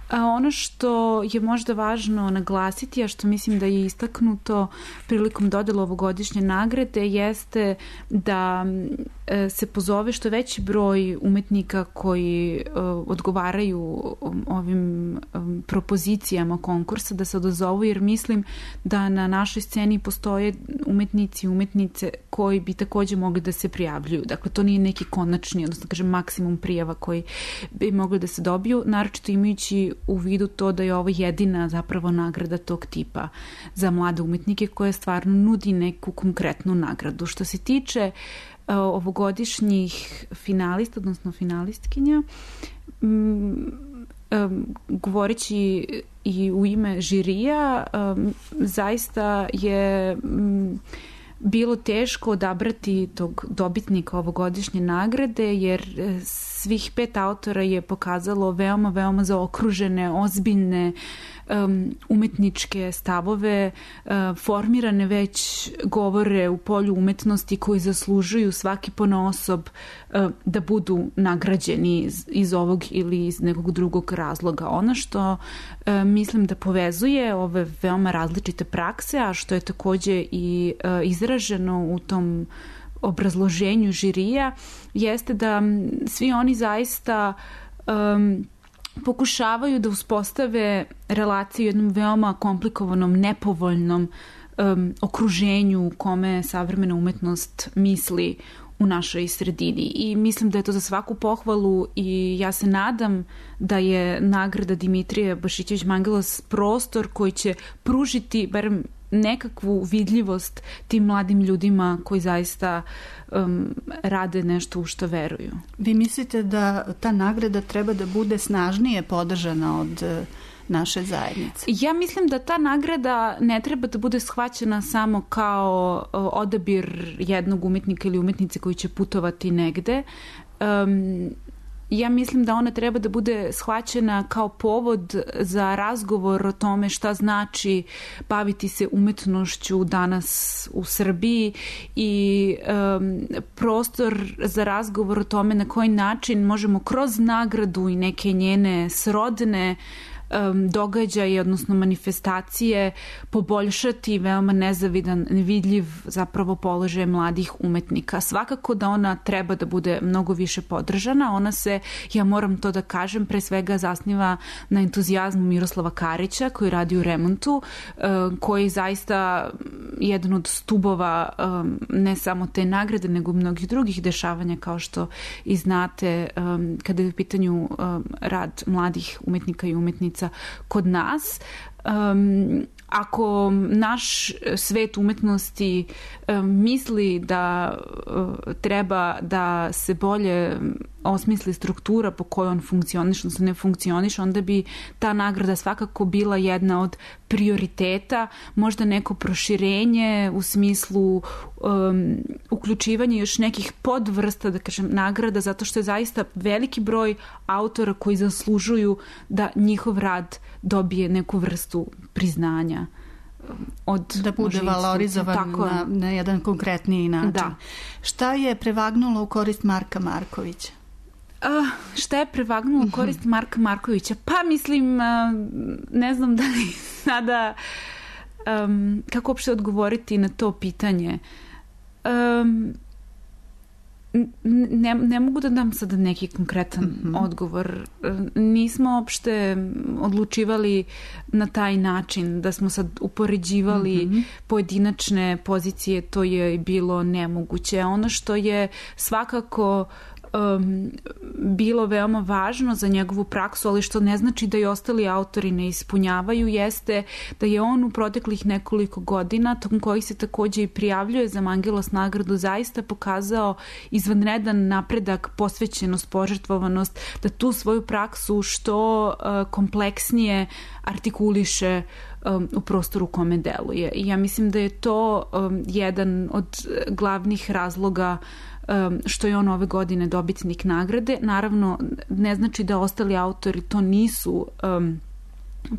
A ono što je možda važno naglasiti, a što mislim da je istaknuto prilikom dodela ovogodišnje nagrade, jeste da se pozove što veći broj umetnika koji odgovaraju ovim propozicijama konkursa da se odazovu, jer mislim da na našoj sceni postoje umetnici i umetnice koji bi takođe mogli da se prijavljuju. Dakle, to nije neki konačni, odnosno kažem maksimum prijava koji bi mogli da se dobiju, naročito imajući u vidu to da je ovo jedina zapravo nagrada tog tipa za mlade umetnike koja stvarno nudi neku konkretnu nagradu. Što se tiče ovogodišnjih finalista, odnosno finalistkinja, govoreći i u ime žirija, zaista je bilo teško odabrati tog dobitnika ovogodišnje nagrade, jer svih pet autora je pokazalo veoma, veoma zaokružene, ozbiljne um, umetničke stavove, uh, formirane već govore u polju umetnosti koji zaslužuju svaki ponaosob uh, da budu nagrađeni iz, iz ovog ili iz nekog drugog razloga. Ono što uh, mislim da povezuje ove veoma različite prakse, a što je takođe i uh, izraženo u tom obrazloženju žirija, jeste da svi oni zaista um, pokušavaju da uspostave relaciju u jednom veoma komplikovanom, nepovoljnom um, okruženju u kome savremena umetnost misli u našoj sredini. I mislim da je to za svaku pohvalu i ja se nadam da je nagrada Dimitrije Bašičević Mangilos prostor koji će pružiti barem nekakvu vidljivost tim mladim ljudima koji zaista um, rade nešto u što veruju. Vi mislite da ta nagrada treba da bude snažnije podržana od naše zajednice? Ja mislim da ta nagrada ne treba da bude shvaćena samo kao odabir jednog umetnika ili umetnice koji će putovati negde. Um, Ja mislim da ona treba da bude shvaćena kao povod za razgovor o tome šta znači baviti se umetnošću danas u Srbiji i um, prostor za razgovor o tome na koji način možemo kroz nagradu i neke njene srodne um, događaje, odnosno manifestacije, poboljšati veoma nezavidan, nevidljiv zapravo položaj mladih umetnika. Svakako da ona treba da bude mnogo više podržana. Ona se, ja moram to da kažem, pre svega zasniva na entuzijazmu Miroslava Karića koji radi u remontu, um, koji je zaista jedan od stubova um, ne samo te nagrade, nego mnogih drugih dešavanja, kao što i znate, um, kada je u pitanju um, rad mladih umetnika i umetnica kod nas. Um, ako naš svet umetnosti um, misli da uh, treba da se bolje osmisli struktura po kojoj on funkcioniš, odnosno ne funkcioniš, onda bi ta nagrada svakako bila jedna od prioriteta, možda neko proširenje u smislu um, uključivanja još nekih podvrsta, da kažem, nagrada, zato što je zaista veliki broj autora koji zaslužuju da njihov rad dobije neku vrstu priznanja. Od, da bude valorizovan na, na jedan konkretniji način. Da. Šta je prevagnulo u korist Marka Markovića? Uh, šta je prevagnulo u korist Marka Markovića? Pa mislim, uh, ne znam da li sada um, kako uopšte odgovoriti na to pitanje. Um, ne, ne mogu da dam sada neki konkretan mm-hmm. odgovor. Nismo uopšte odlučivali na taj način da smo sad upoređivali mm-hmm. pojedinačne pozicije, to je bilo nemoguće. Ono što je svakako Um, bilo veoma važno za njegovu praksu, ali što ne znači da i ostali autori ne ispunjavaju, jeste da je on u proteklih nekoliko godina, tokom kojih se takođe i prijavljuje za Mangelos nagradu, zaista pokazao izvanredan napredak, posvećenost, požrtvovanost, da tu svoju praksu što uh, kompleksnije artikuliše um, u prostoru u kome deluje. I ja mislim da je to um, jedan od glavnih razloga Um, što je on ove godine dobitnik nagrade. Naravno, ne znači da ostali autori to nisu um,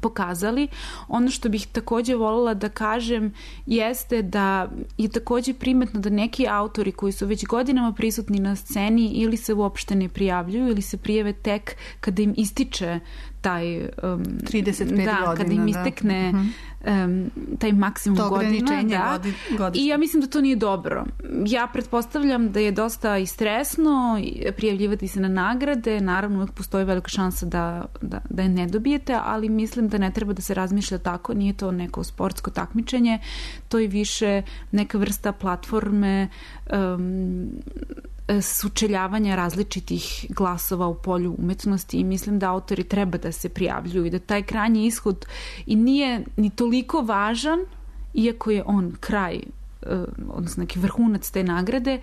pokazali. Ono što bih takođe voljela da kažem jeste da je takođe primetno da neki autori koji su već godinama prisutni na sceni ili se uopšte ne prijavljuju ili se prijave tek kada im ističe taj um, trideset pet da, godina, kada im istekne da. um, taj maksimum to godina da. Godi, i ja mislim da to nije dobro. Ja pretpostavljam da je dosta i stresno prijavljivati se na nagrade, naravno uvek postoji velika šansa da, da, da je ne dobijete, ali mislim da ne treba da se razmišlja tako, nije to neko sportsko takmičenje, to je više neka vrsta platforme um, sučeljavanja različitih glasova u polju umetnosti i mislim da autori treba da se prijavljuju i da taj krajnji ishod i nije ni toliko važan, iako je on kraj, odnosno neki vrhunac te nagrade,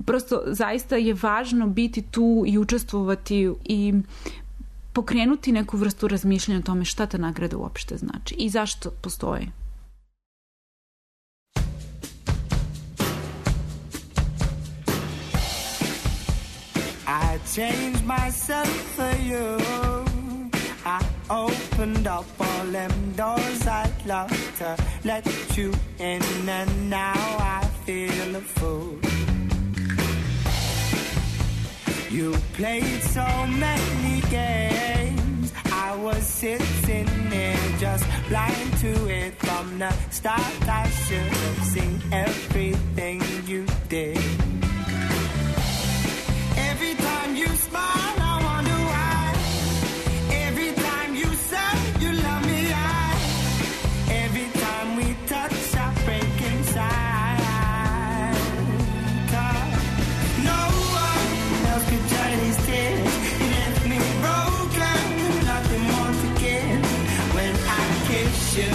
prosto zaista je važno biti tu i učestvovati i pokrenuti neku vrstu razmišljanja o tome šta ta nagrada uopšte znači i zašto postoji. I changed myself for you. I opened up all them doors I'd love to let you in, and now I feel a fool. You played so many games, I was sitting there just blind to it. From the start I should have seen everything you did. Every time you smile, I wonder why. Every time you say you love me, I. Every time we touch, I break inside. 'Cause no one else could dry these tears. You left me broken, nothing more to give. When I kiss you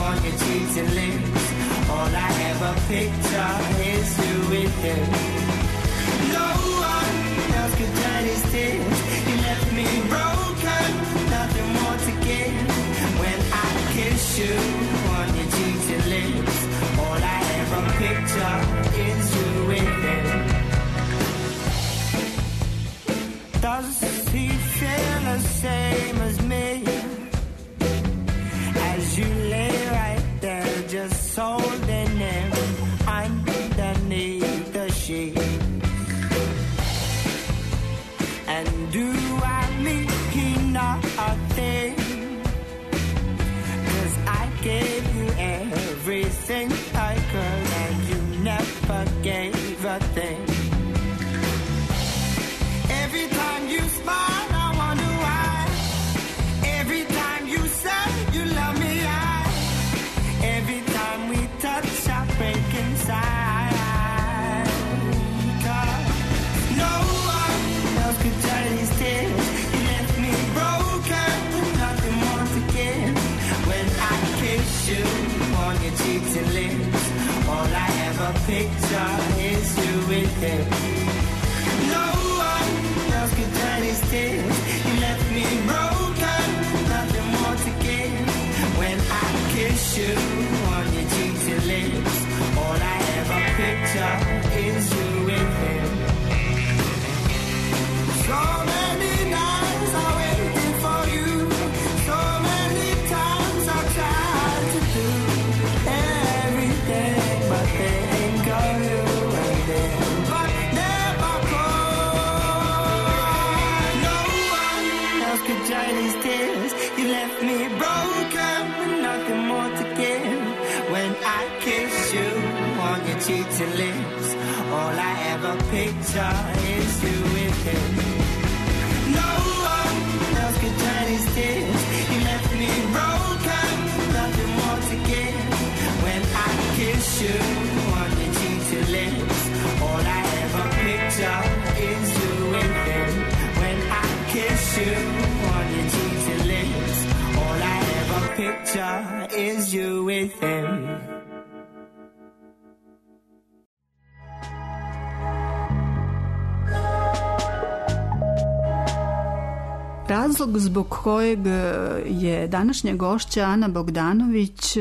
on your cheeks and lips, all I ever picture is you with him. No one else could dry these tears. You left me broken, nothing more to give. When I kiss you on your cheeks and lips, all I ever picture is you with him. Does he feel the same as me? As you lay right there, just holding him underneath the sheet. And do I mean nothing? 'Cause I gave you everything I could, and you never gave a thing. Every time you smile, I wonder why. Every time you say you love me, I. Every time we touch, I break inside. 'Cause no one else could dry these tears. You left me broken, nothing more to give. When I kiss you on your cheeks and lips, all I ever picture is you with him. No one else could dry these tears. You left me broken, nothing more to give. When I kiss you on your cheeks and lips, all I ever picture is you with him. So many nights I waited for you. So many times I tried to do everything, but think of you and then, but never could. No one else could dry these tears. You left me broken with nothing more to give. When I kiss you on your cheeks and lips, all I ever ever picture is you with him. No one else could turn his tears. He left me broken, nothing more to give. When I kiss you on your cheeks and lips, all I ever picture is you with him. When I kiss you on your cheeks and lips, all I ever picture is you with him. Razlog zbog kojeg je današnja gošća Ana Bogdanović,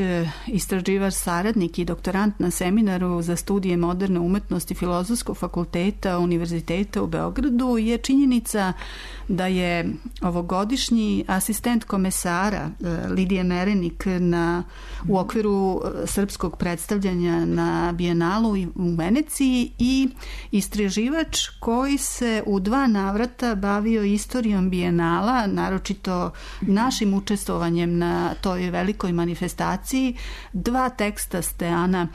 istraživač, saradnik i doktorant na seminaru za studije moderne umetnosti Filozofskog fakulteta Univerziteta u Beogradu, je činjenica da je ovogodišnji asistent komesara Lidija Merenik na, u okviru srpskog predstavljanja na Bijenalu u Veneciji i istraživač koji se u dva navrata bavio istorijom Bijenala, naročito našim učestvovanjem na toj velikoj manifestaciji. Dva teksta ste, Ana,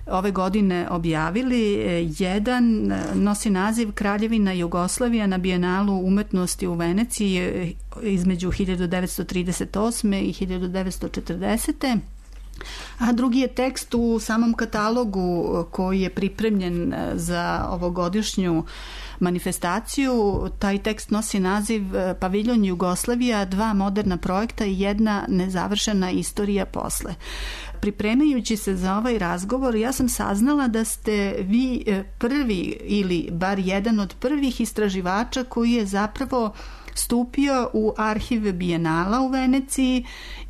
ove godine objavili. Jedan nosi naziv Kraljevina Jugoslavija na Bijenalu umetnosti u Veneciji između hiljadu devetsto trideset osme i hiljadu devetsto četrdesete a drugi je tekst u samom katalogu koji je pripremljen za ovogodišnju manifestaciju. Taj tekst nosi naziv Paviljon Jugoslavija, dva moderna projekta i jedna nezavršena istorija posle. Pripremajući se za ovaj razgovor, ja sam saznala da ste vi prvi ili bar jedan od prvih istraživača koji je zapravo stupio u arhiv Bijenala u Veneciji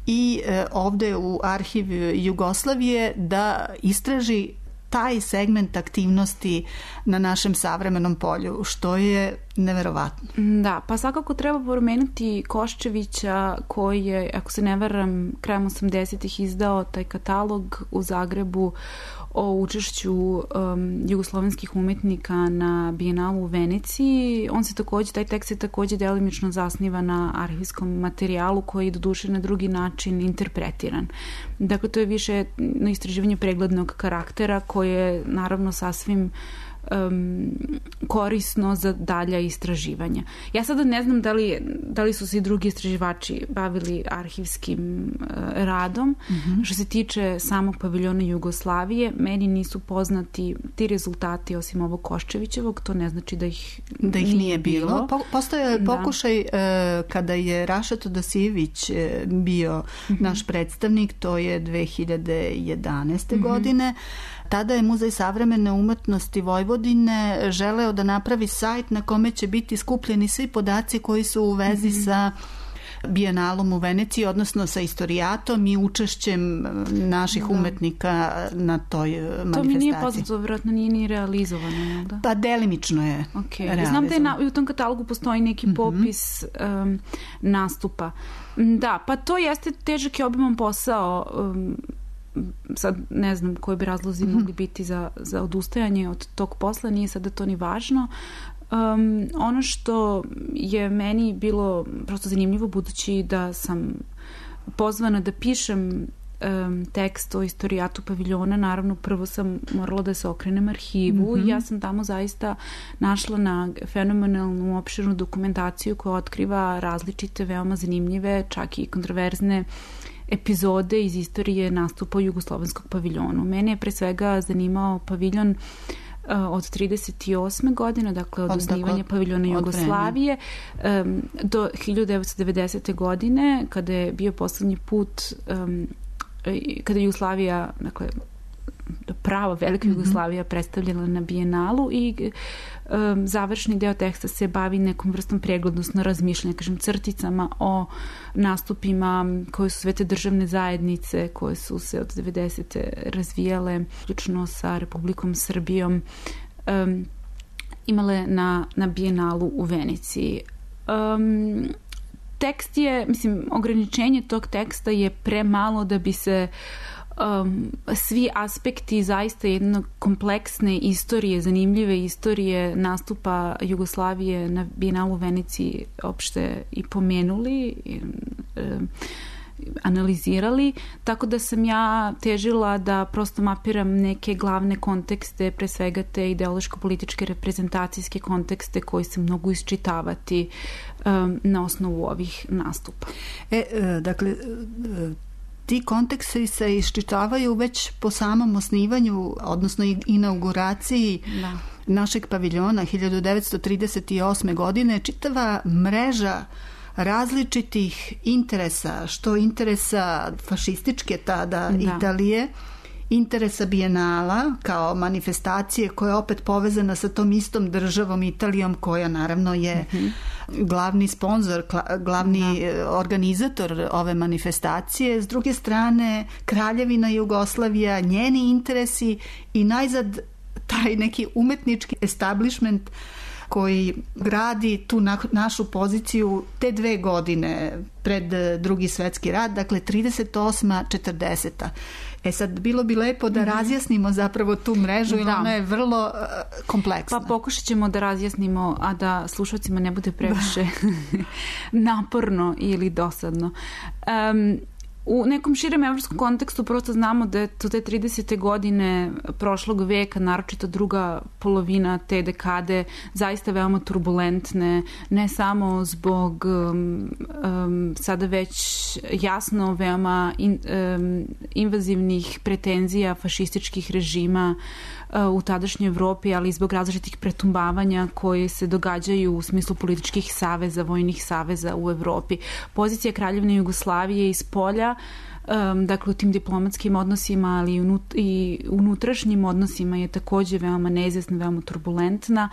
i ovde u arhiv Jugoslavije da istraži taj segment aktivnosti na našem savremenom polju, što je neverovatno. Da, pa svakako treba pomenuti Koščevića koji je, ako se ne varam, krajem osamdesetih izdao taj katalog u Zagrebu o učešću um, jugoslovenskih umetnika na Bijenalu u Veneciji. On se takođe, taj tekst se takođe delimično zasniva na arhivskom materijalu koji je doduše na drugi način interpretiran. Dakle, to je više na istraživanje preglednog karaktera koje je naravno sasvim Um, korisno za dalja istraživanja. Ja sada ne znam da li, da li su se i drugi istraživači bavili arhivskim uh, radom. Mm-hmm. Što se tiče samog paviljona Jugoslavije, meni nisu poznati ti rezultati osim ovog Koščevićevog, to ne znači da ih, da ih nije, nije bilo. bilo. Po, postoje je pokušaj uh, kada je Raša Todosijević uh, bio mm-hmm. naš predstavnik, to je dve hiljade jedanaeste. Mm-hmm. godine. Tada je Muzej savremene umetnosti Vojvodine želeo da napravi sajt na kome će biti skupljeni svi podaci koji su u vezi mm-hmm. sa Bijenalom u Veneciji, odnosno sa istorijatom i učešćem naših da. umetnika na toj manifestaciji. To mi nije poznato, vjerojatno nije ni realizovano. Da? Pa delimično je okay. realizovano. Znam da je na, u tom katalogu postoji neki mm-hmm. popis um, nastupa. Da, pa to jeste težak i obiman posao. Um, sad ne znam koji bi razlozi mm-hmm. mogli biti za, za odustajanje od tog posla, nije sada to ni važno. Um, ono što je meni bilo prosto zanimljivo, budući da sam pozvana da pišem um, tekst o istorijatu paviljona, naravno prvo sam morala da se okrenem arhivu mm-hmm. i ja sam tamo zaista našla na fenomenalnu opširnu dokumentaciju koja otkriva različite, veoma zanimljive, čak i kontroverzne epizode iz istorije nastupa jugoslovenskog paviljonu. Mene je pre svega zanimao paviljon uh, od trideset osme godine, dakle od, od osnivanja dakle, paviljona Jugoslavije um, do hiljadu devetsto devedesete. godine, kada je bio poslednji put um, kada je Jugoslavija, dakle prava velika Jugoslavija mm-hmm. predstavljena na Bijenalu i um, završni deo teksta se bavi nekom vrstom preglednosno razmišljanja, kažem crticama o nastupima koje su sve te državne zajednice koje su se od devedesete razvijale, uključno sa Republikom Srbijom, um, imale na, na Bijenalu u Veneciji. Um, tekst je, mislim, ograničenje tog teksta je premalo da bi se Um, svi aspekti zaista jedne kompleksne istorije, zanimljive istorije nastupa Jugoslavije na Bijenalu u Veneciji opšte i pomenuli. Um, analizirali, tako da sam ja težila da prosto mapiram neke glavne kontekste, pre svega te ideološko-političke reprezentacijske kontekste koji se mogu isčitavati um, na osnovu ovih nastupa. E, dakle, ti konteksti se iščitavaju već po samom osnivanju, odnosno inauguraciji da. našeg paviljona hiljadu devetsto trideset osme. godine, čitava mreža različitih interesa, što interesa fašističke tada da. Italije, interesa Bijenala kao manifestacije koja je opet povezana sa tom istom državom Italijom koja naravno je mm-hmm. glavni sponzor, glavni da. organizator ove manifestacije. S druge strane Kraljevina Jugoslavija, njeni interesi i najzad taj neki umetnički establishment koji gradi tu na, našu poziciju te dve godine pred drugi svetski rat, dakle trideset osma četrdeseta. E sad, bilo bi lepo da razjasnimo zapravo tu mrežu, jer ona je vrlo uh, kompleksna. Pa pokušat ćemo da razjasnimo, a da slušalcima ne bude previše naporno ili dosadno. Um, U nekom širem evropskom kontekstu prosto znamo da su te tridesete godine prošlog veka, naročito druga polovina te dekade, zaista veoma turbulentne, ne samo zbog um, um, sada već jasno veoma in, um, invazivnih pretenzija fašističkih režima u tadašnjoj Evropi, ali i zbog različitih pretumbavanja koje se događaju u smislu političkih saveza, vojnih saveza u Evropi. Pozicija Kraljevine Jugoslavije iz polja, um, dakle u tim diplomatskim odnosima, ali i, unut, i unutrašnjim odnosima je takođe veoma neizvesna, veoma turbulentna.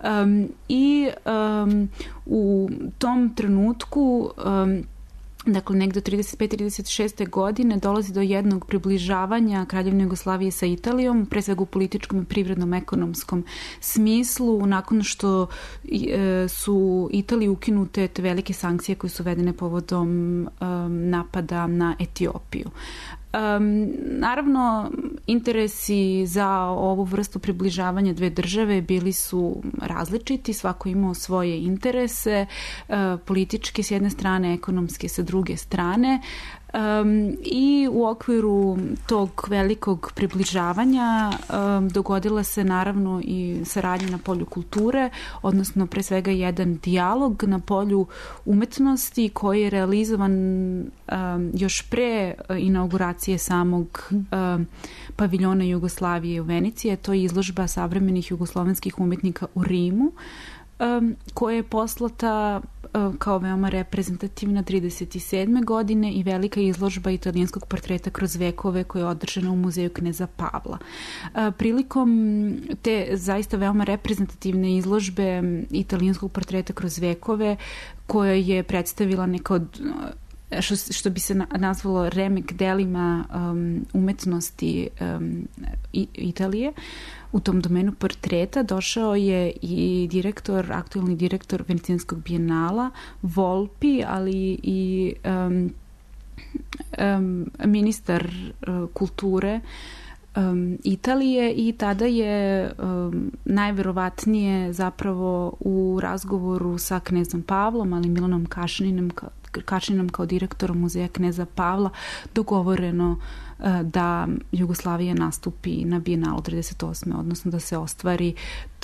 Um, I um, u tom trenutku um, dakle, negde od trideset pete trideset šeste. godine dolazi do jednog približavanja Kraljevine Jugoslavije sa Italijom, pre svega u političkom i privrednom ekonomskom smislu, nakon što e, su Italiji ukinute te velike sankcije koje su vedene povodom um, napada na Etiopiju. Um, naravno, interesi za ovu vrstu približavanja dve države bili su različiti, svako imao svoje interese, uh, političke s jedne strane, ekonomske sa druge strane. Um, I u okviru tog velikog približavanja um, dogodila se naravno i saradnja na polju kulture, odnosno pre svega jedan dijalog na polju umetnosti koji je realizovan um, još pre inauguracije samog um, paviljona Jugoslavije u Veniciji. To je izložba savremenih jugoslovenskih umetnika u Rimu, Um, koja je poslata uh, kao veoma reprezentativna trideset sedme. godine i velika izložba italijanskog portreta kroz vekove koja je održana u muzeju kneza Pavla. Uh, prilikom te zaista veoma reprezentativne izložbe italijanskog portreta kroz vekove koja je predstavila neka od Što, što bi se nazvalo remek delima um, umetnosti um, Italije, u tom domenu portreta došao je i direktor, aktualni direktor Venecijanskog bijenala, Volpi, ali i um, um, ministar uh, kulture um, Italije, i tada je um, najverovatnije zapravo u razgovoru sa knezom Pavlom, ali Milanom Kašninom kao Kačninom kao direktorom muzeja kneza Pavla dogovoreno da Jugoslavija nastupi na Bijenalu trideset osme. odnosno da se ostvari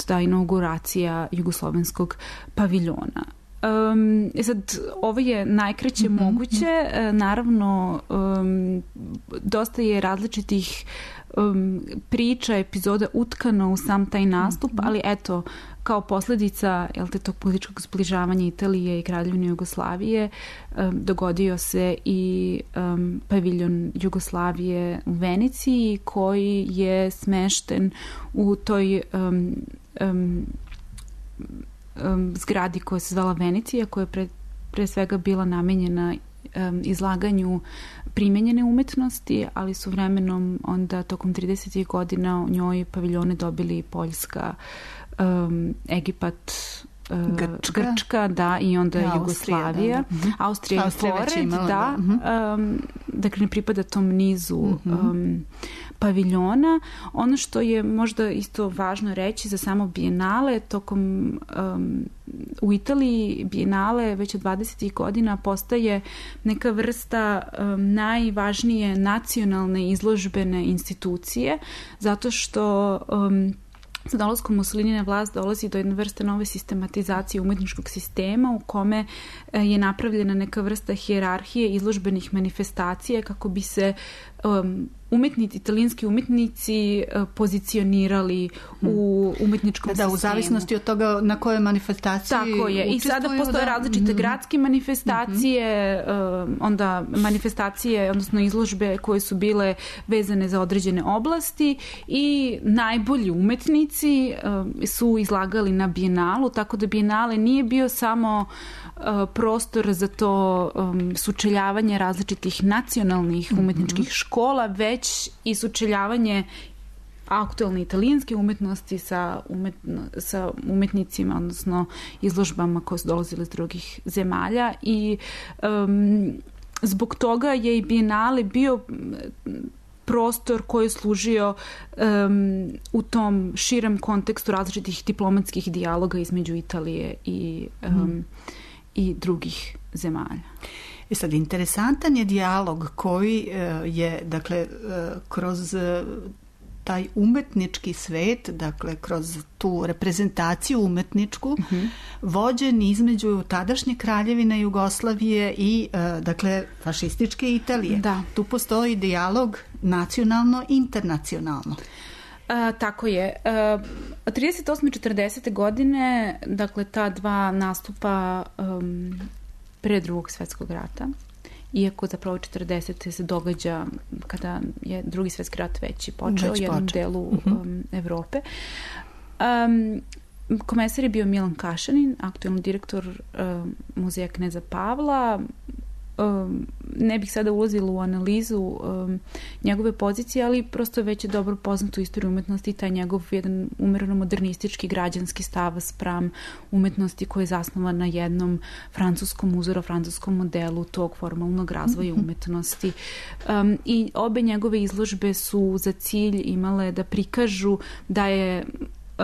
ta inauguracija jugoslovenskog paviljona. Um, sad, ovo je najkraće mm-hmm. moguće. Naravno, um, dosta je različitih um, priča, epizoda utkano u sam taj nastup, mm-hmm. ali eto, kao posledica jel te, tog političkog zbližavanja Italije i Kraljevine Jugoslavije um, dogodio se i um, paviljon Jugoslavije u Veniciji, koji je smešten u toj um, um, um, zgradi koja se zvala Venecija, koja je pre, pre svega bila namenjena um, izlaganju primenjene umetnosti, ali su vremenom onda tokom tridesetih godina u njoj paviljone dobili Poljska, Um, Egipat, uh, Grčka. Grčka, da, i onda Austrija, Jugoslavija. da, da. Austrija je Austrija već pored, imala, da. da. Um, dakle, ne pripada tom nizu Mhm. um, paviljona. Ono što je možda isto važno reći za samo Bijenale, tokom um, u Italiji Bijenale već od dvadesetih godina postaje neka vrsta um, najvažnije nacionalne izložbene institucije, zato što um, sa dolaskom Mussolini na vlast dolazi do jedne vrste nove sistematizacije umetničkog sistema u kome je napravljena neka vrsta hijerarhije izložbenih manifestacija kako bi se um, umetnici, italijanski umetnici uh, pozicionirali u umetničkom da, sistemu. Da, u zavisnosti od toga na kojoj manifestaciji Tako je. I sada postoje da. različite mm-hmm. gradske manifestacije, mm-hmm. uh, onda manifestacije, odnosno izložbe koje su bile vezane za određene oblasti i najbolji umetnici uh, su izlagali na Bijenalu, tako da Bijenale nije bio samo uh, prostor za to um, sučeljavanje različitih nacionalnih umetničkih mm-hmm. škola, već i sučeljavanje aktualne italijanske umetnosti sa, umetno, sa umetnicima, odnosno izložbama koje su dolazile iz drugih zemalja i um, zbog toga je i Bijenale bio prostor koji je služio um, u tom širem kontekstu različitih diplomatskih dijaloga između Italije i, um, mm. i drugih zemalja. I sad, interesantan je dijalog koji uh, je, dakle, uh, kroz uh, taj umetnički svet, dakle, kroz tu reprezentaciju umetničku, mm-hmm. vođen između tadašnje kraljevine Jugoslavije i, uh, dakle, fašističke Italije. Da. Tu postoji dijalog nacionalno-internacionalno. A, tako je. A, trideset osme i četrdesete godine, dakle, ta dva nastupa um, pre drugog svetskog rata, iako zapravo četrdesete se događa kada je drugi svetski rat već počeo u jednom počeo. delu um, Evrope. Um, komesar je bio Milan Kašanin, aktualni direktor um, muzeja Kneza Pavla. Um, ne bih sada ulazila u analizu um, njegove pozicije, ali prosto već je dobro poznato u istoriji umetnosti i taj njegov jedan umereno modernistički građanski stav spram umetnosti koji je zasnovan na jednom francuskom uzoru, francuskom modelu tog formalnog razvoja umetnosti. Um, I obe njegove izložbe su za cilj imale da prikažu da je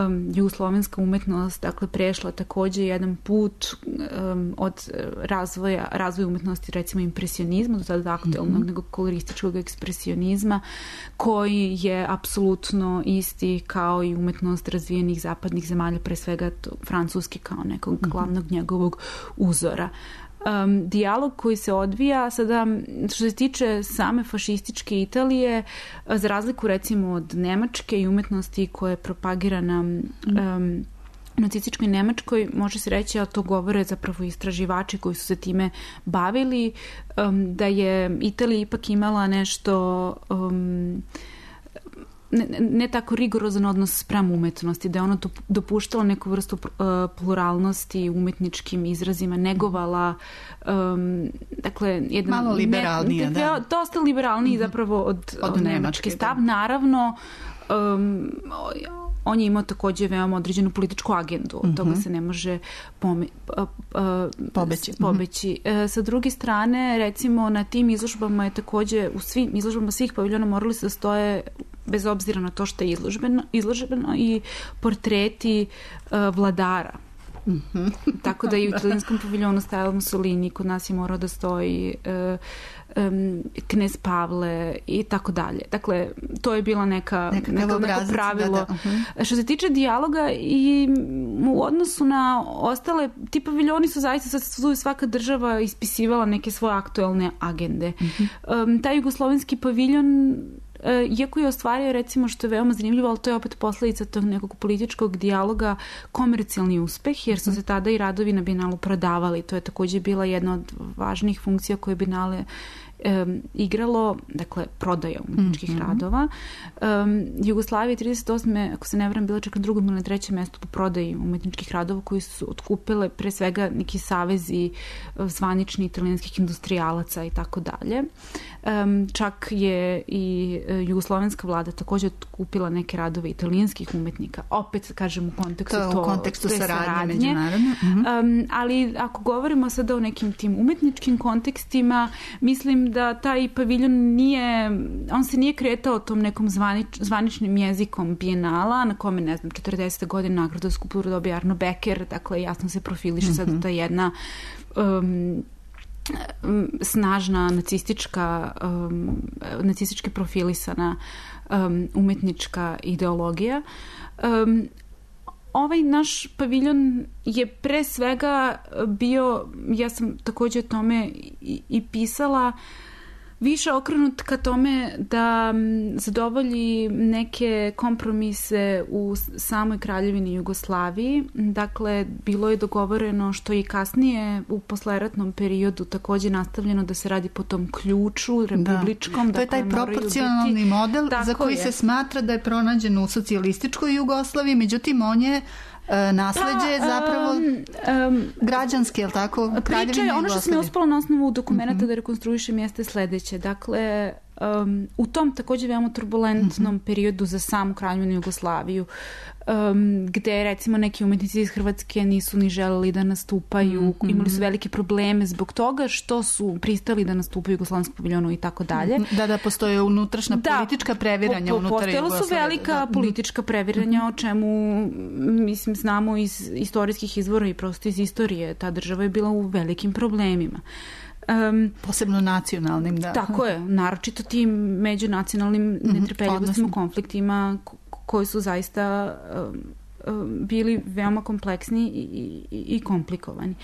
Um, jugoslovenska umetnost, dakle, prešla takođe jedan put um, od razvoja, razvoja umetnosti, recimo impresionizma, do tada aktualnog mm-hmm. nego kolorističkog ekspresionizma, koji je apsolutno isti kao i umetnost razvijenih zapadnih zemalja, pre svega to, Francuske kao nekog mm-hmm. glavnog njegovog uzora. Um, dijalog koji se odvija sada, što se tiče same fašističke Italije, za razliku recimo od Nemačke i umetnosti koja je propagirana um, nacističkoj Nemačkoj, može se reći, a to govore zapravo istraživači koji su se time bavili, um, da je Italija ipak imala nešto um, Ne, ne tako rigorozan odnos spram umetnosti, da je ono dopuštalo neku vrstu uh, pluralnosti umetničkim izrazima, negovala um, dakle, jedan... Malo liberalnije, ne, da. Dosta liberalniji mm-hmm. zapravo od, od, od nemački stav. Da. Naravno, um, on je imao takođe veoma određenu političku agendu, od mm-hmm. toga se ne može pome, uh, uh, pobeći. pobeći. Mm-hmm. Uh, sa druge strane, recimo, na tim izložbama je takođe, u svim izložbama svih paviljona morali se da stoje, bez obzira na to što je izložbeno, izložbeno i portreti uh, vladara. Mm-hmm. Tako da i u italijanskom paviljonu stajao Mussolini, kod nas je morao da stoji uh, um, knez Pavle i tako dalje. Dakle, to je bila neka, neka, neko pravilo. Da, da. Uh-huh. Što se tiče dijaloga i u odnosu na ostale, ti paviljoni su zaista, su svaka država ispisivala neke svoje aktuelne agende. Uh-huh. Um, taj jugoslovenski paviljon, iako je ostvario, recimo, što je veoma zanimljivo, ali to je opet posledica tog nekog političkog dijaloga, komercijalni uspeh, jer su se tada i radovi na Bijenalu prodavali. To je takođe bila jedna od važnijih funkcija koje Bijenale um, igralo, dakle, prodaja umetničkih mm-hmm. radova. Um, Jugoslavija trideset osme ako se ne varam, bila čak na drugom ili na trećem mestu po prodaji umetničkih radova koji su otkupile pre svega neki savezi zvanični italijanskih industrijalaca i tako dalje. Um, čak je i uh, jugoslovenska vlada također kupila neke radove italijanskih umetnika, opet kažem u kontekstu to, to, u kontekstu te saradnje, saradnje. međunarodne. Mhm. Um, ali ako govorimo sada o nekim tim umetničkim kontekstima, mislim da taj paviljon nije, on se nije kretao tom nekom zvanič, zvaničnim jezikom bijenala, na kome, ne znam, četrdesete godine nagradu za skulpturu dobija Arno Becker, dakle jasno se profiliše mm-hmm. sada ta jedna um, snažna nacistička um, nacistički profilisana um, umetnička ideologija. Um, ovaj naš paviljon je pre svega bio, ja sam također o tome i, i pisala, više okrenut ka tome da zadovolji neke kompromise u samoj kraljevini Jugoslaviji. Dakle, bilo je dogovoreno, što i kasnije u posleratnom periodu također nastavljeno, da se radi po tom ključu republičkom. Da. To je taj proporcionalni biti model za koji je. se smatra da je pronađen u socijalističkoj Jugoslaviji, međutim on je nasleđe pa, zapravo um, um, građanske, je li tako? Priča je, ono što sam je uspela na osnovu dokumenta mm-hmm. da rekonstruišem jeste sledeće. Dakle, um, u tom također veoma turbulentnom mm-hmm. periodu za samu kraljevinu Jugoslaviju, um, gde recimo neki umetnici iz Hrvatske nisu ni želeli da nastupaju, mm-hmm. imali su velike probleme zbog toga što su pristali da nastupaju u Jugoslavenskom paviljonu i tako dalje. Da, da, postoje unutrašnja da, politička previranja po, unutar Jugoslavije. Postojala su velika da. politička previranja, mm-hmm. o čemu mislim znamo iz istorijskih izvora i prosto iz istorije. Ta država je bila u velikim problemima. Um, Posebno nacionalnim, da. Tako je, naročito tim međunacionalnim mm-hmm. netrpeljivostimu, konfliktima koji su zaista um, um, bili veoma kompleksni i, i, i komplikovani.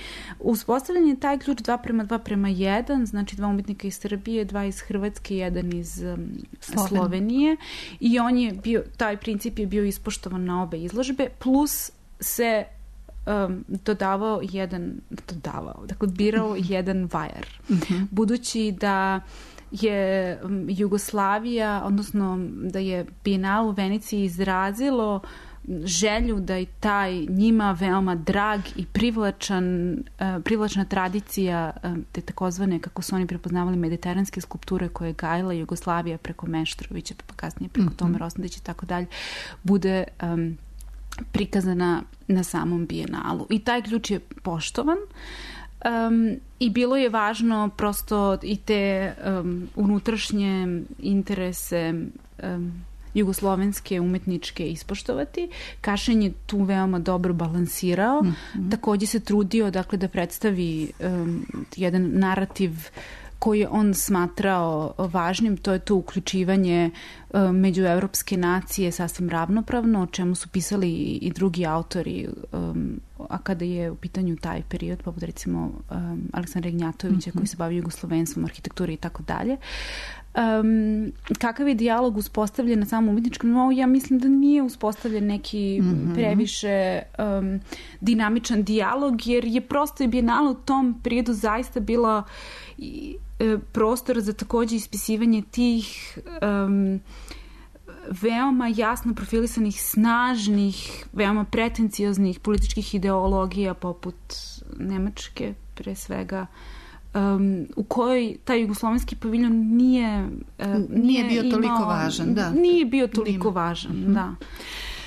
Uspostavljen je taj ključ dva prema dva prema jedan, znači dva umetnika iz Srbije, dva iz Hrvatske, jedan iz um, Sloven. Slovenije, i on je bio, taj princip je bio ispoštovan na obe izložbe, plus se Um, dodavao jedan dodavao, dakle birao jedan vajar. Mm-hmm. Budući da je um, Jugoslavija, odnosno da je Bijenal u Veneciji izrazilo želju da i taj njima veoma drag i privlačan, uh, privlačna tradicija um, te takozvane, kako su oni prepoznavali, mediteranske skulpture koje je gajila Jugoslavija preko Meštrovića, pa kasnije preko mm-hmm. Tome Rosnadića i tako dalje, bude um, prikazana na samom Bijenalu. I taj ključ je poštovan um, i bilo je važno prosto i te um, unutrašnje interese um, jugoslovenske umetničke ispoštovati. Kašin je tu veoma dobro balansirao. Mm-hmm. Također se trudio, dakle, da predstavi um, jedan narativ koji je on smatrao važnim, to je to uključivanje um, među evropske nacije sasvim ravnopravno, o čemu su pisali i drugi autori, um, a kada je u pitanju taj period, poput recimo um, Aleksandra Ignjatovića, mm-hmm. koji se bavi jugoslovenstvom, arhitekturi i tako dalje. Um, kakav je dijalog uspostavljen na samom umetničkom nivou? Ja mislim da nije uspostavljen neki mm-hmm. previše um, dinamičan dijalog, jer je prosto i Bijenala u tom periodu zaista bila i, e, prostor za također ispisivanje tih um, veoma jasno profilisanih, snažnih, veoma pretencioznih političkih ideologija poput Nemačke, pre svega, Um, u kojoj taj jugoslovenski paviljon nije, uh, nije, nije bio imao, toliko važan. Da. Nije bio toliko Nima. važan, mm-hmm. da.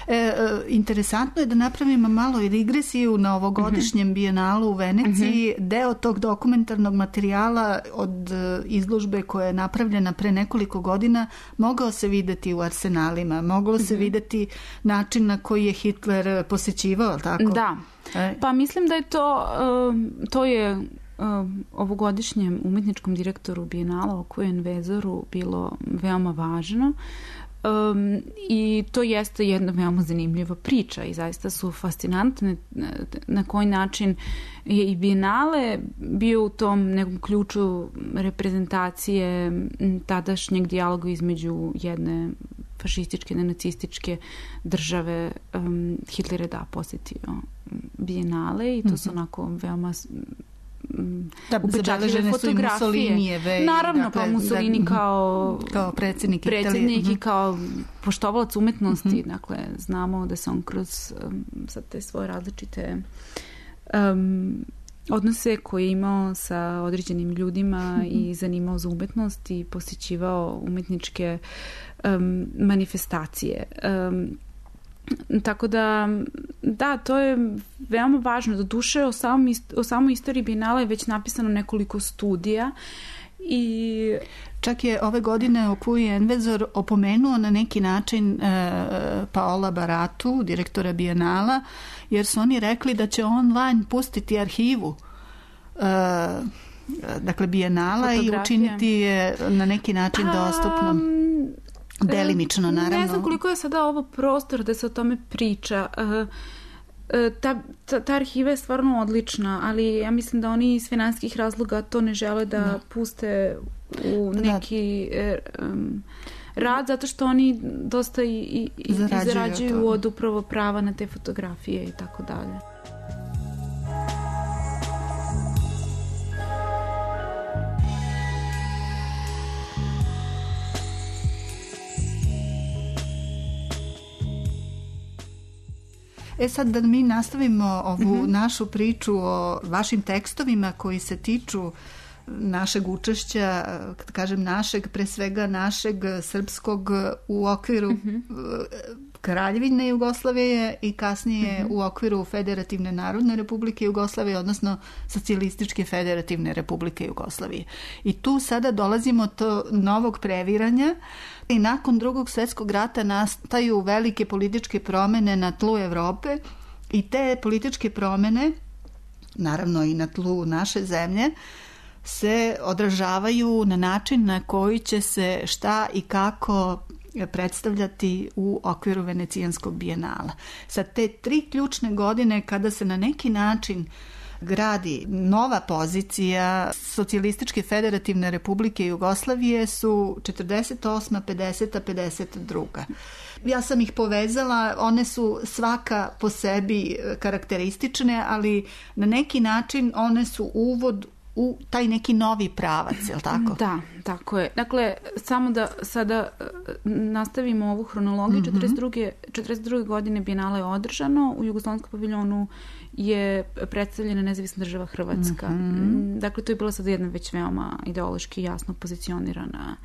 E, interesantno je da napravimo malo i digresiju na ovogodišnjem mm-hmm. Bijenalu u Veneciji. Mm-hmm. Deo tog dokumentarnog materijala od izložbe koja je napravljena pre nekoliko godina mogao se videti u arsenalima, moglo mm-hmm. se videti način na koji je Hitler posećivao, tako? Da. E. Pa mislim da je to, uh, to je ovogodišnjem umetničkom direktoru Bijenala Okujen Vezoru bilo veoma važno. Um, i to jeste jedna veoma zanimljiva priča i zaista su fascinantne na koji način je i Bijenale bio u tom nekom ključu reprezentacije tadašnjeg dijaloga između jedne fašističke, jedne nacističke države. um, Hitler je da posjetio Bijenale i to su onako veoma da, upečatljive fotografije. Naravno, dakle, pa Mussolini da, kao, kao predsjednik, predsjednik Italije. I kao poštovalac umetnosti. Mm-hmm. Dakle, znamo da se on kroz um, sad te svoje različite um, odnose koje je imao sa određenim ljudima i zanimao za umetnost i posjećivao umetničke um, manifestacije. Um, tako da, da, to je veoma važno. Do duše, o, samom, o samoj istoriji Bijenala je već napisano nekoliko studija i čak je ove godine Okuji Envezor opomenuo na neki način e, Paola Baratu, direktora Bijenala, jer su oni rekli da će online pustiti arhivu e, dakle Bijenala i učiniti je na neki način dostupnom. Delimično, naravno. Ne znam koliko je sada ovo prostor da se o tome priča. Ta, ta, ta arhiva je stvarno odlična, ali ja mislim da oni iz finansijskih razloga to ne žele da, da. puste u neki um, rad, zato što oni dosta i, i, i zarađuju, zarađuju od upravo prava na te fotografije i tako dalje. E sad da mi nastavimo ovu mm-hmm. našu priču o vašim tekstovima koji se tiču našeg učešća, kad kažem našeg, pre svega našeg srpskog u okviru mm-hmm. Kraljevine Jugoslavije i kasnije mm-hmm. u okviru Federativne narodne republike Jugoslavije, odnosno Socijalističke federativne republike Jugoslavije. I tu sada dolazimo do novog previranja i nakon Drugog svjetskog rata nastaju velike političke promjene na tlu Evrope i te političke promjene, naravno i na tlu naše zemlje, se odražavaju na način na koji će se šta i kako predstavljati u okviru Venecijanskog bijenala. Sad te tri ključne godine kada se na neki način gradi nova pozicija Socijalističke federativne republike Jugoslavije su četrdeset osma, pedeseta, pedeset druga. Ja sam ih povezala, one su svaka po sebi karakteristične, ali na neki način one su uvod u taj neki novi pravac, je li tako? Da, tako je. Dakle, samo da sada nastavimo ovu hronologiju. Mm-hmm. četrdeset druge. četrdeset druge godine Bijenale je održano. U Jugoslovenskom paviljonu je predstavljena nezavisna država Hrvatska. Mm-hmm. Dakle, to je bila sad jedna već veoma ideološki jasno pozicionirana.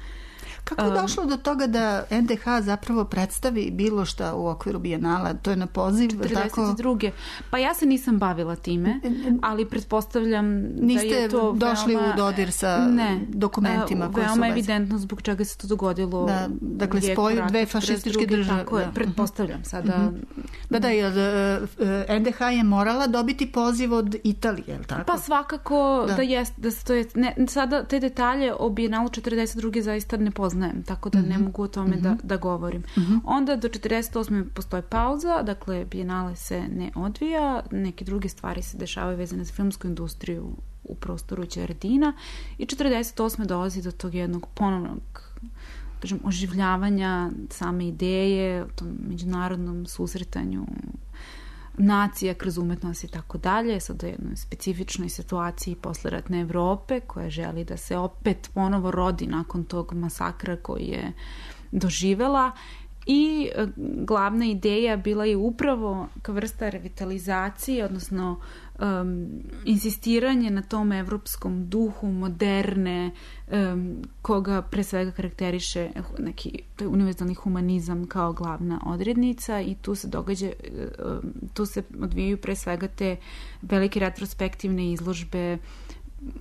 Kako je došlo do toga da en de ha zapravo predstavi bilo šta u okviru Bijenala? To je na poziv? četrdeset druge. Pa ja se nisam bavila time, ali pretpostavljam Niste da je to došli veoma, u dodir sa ne, dokumentima koji su veoma evidentno zbog čega se to dogodilo. Da, dakle, spoj dve fašističke države. Tako je, pretpostavljam sada. Uh-huh. Da, da, jer en de ha je morala dobiti poziv od Italije, je li tako? Pa svakako da, da jest, da se to je, ne, sada te detalje o Bijenalu četrdeset druge zaista ne poznajem, tako da mm-hmm. ne mogu o tome mm-hmm. da, da govorim. Mm-hmm. Onda do četrdeset osme postoji pauza, dakle Bijenale se ne odvija, neke druge stvari se dešavaju vezane za filmsku industriju u prostoru Đerdina i četrdeset osme dolazi do tog jednog ponovnog kažem, oživljavanja same ideje, o tom međunarodnom susretanju nacija kroz umetnost i tako dalje, sad u jednoj specifičnoj situaciji posleratne Evrope koja želi da se opet ponovo rodi nakon tog masakra koji je doživela i glavna ideja bila je upravo kao vrsta revitalizacije, odnosno um, insistiranje na tom evropskom duhu moderne, um, koga pre svega karakteriše neki to je univerzalni humanizam kao glavna odrednica i tu se događa, um, tu se odvijaju pre svega te velike retrospektivne izložbe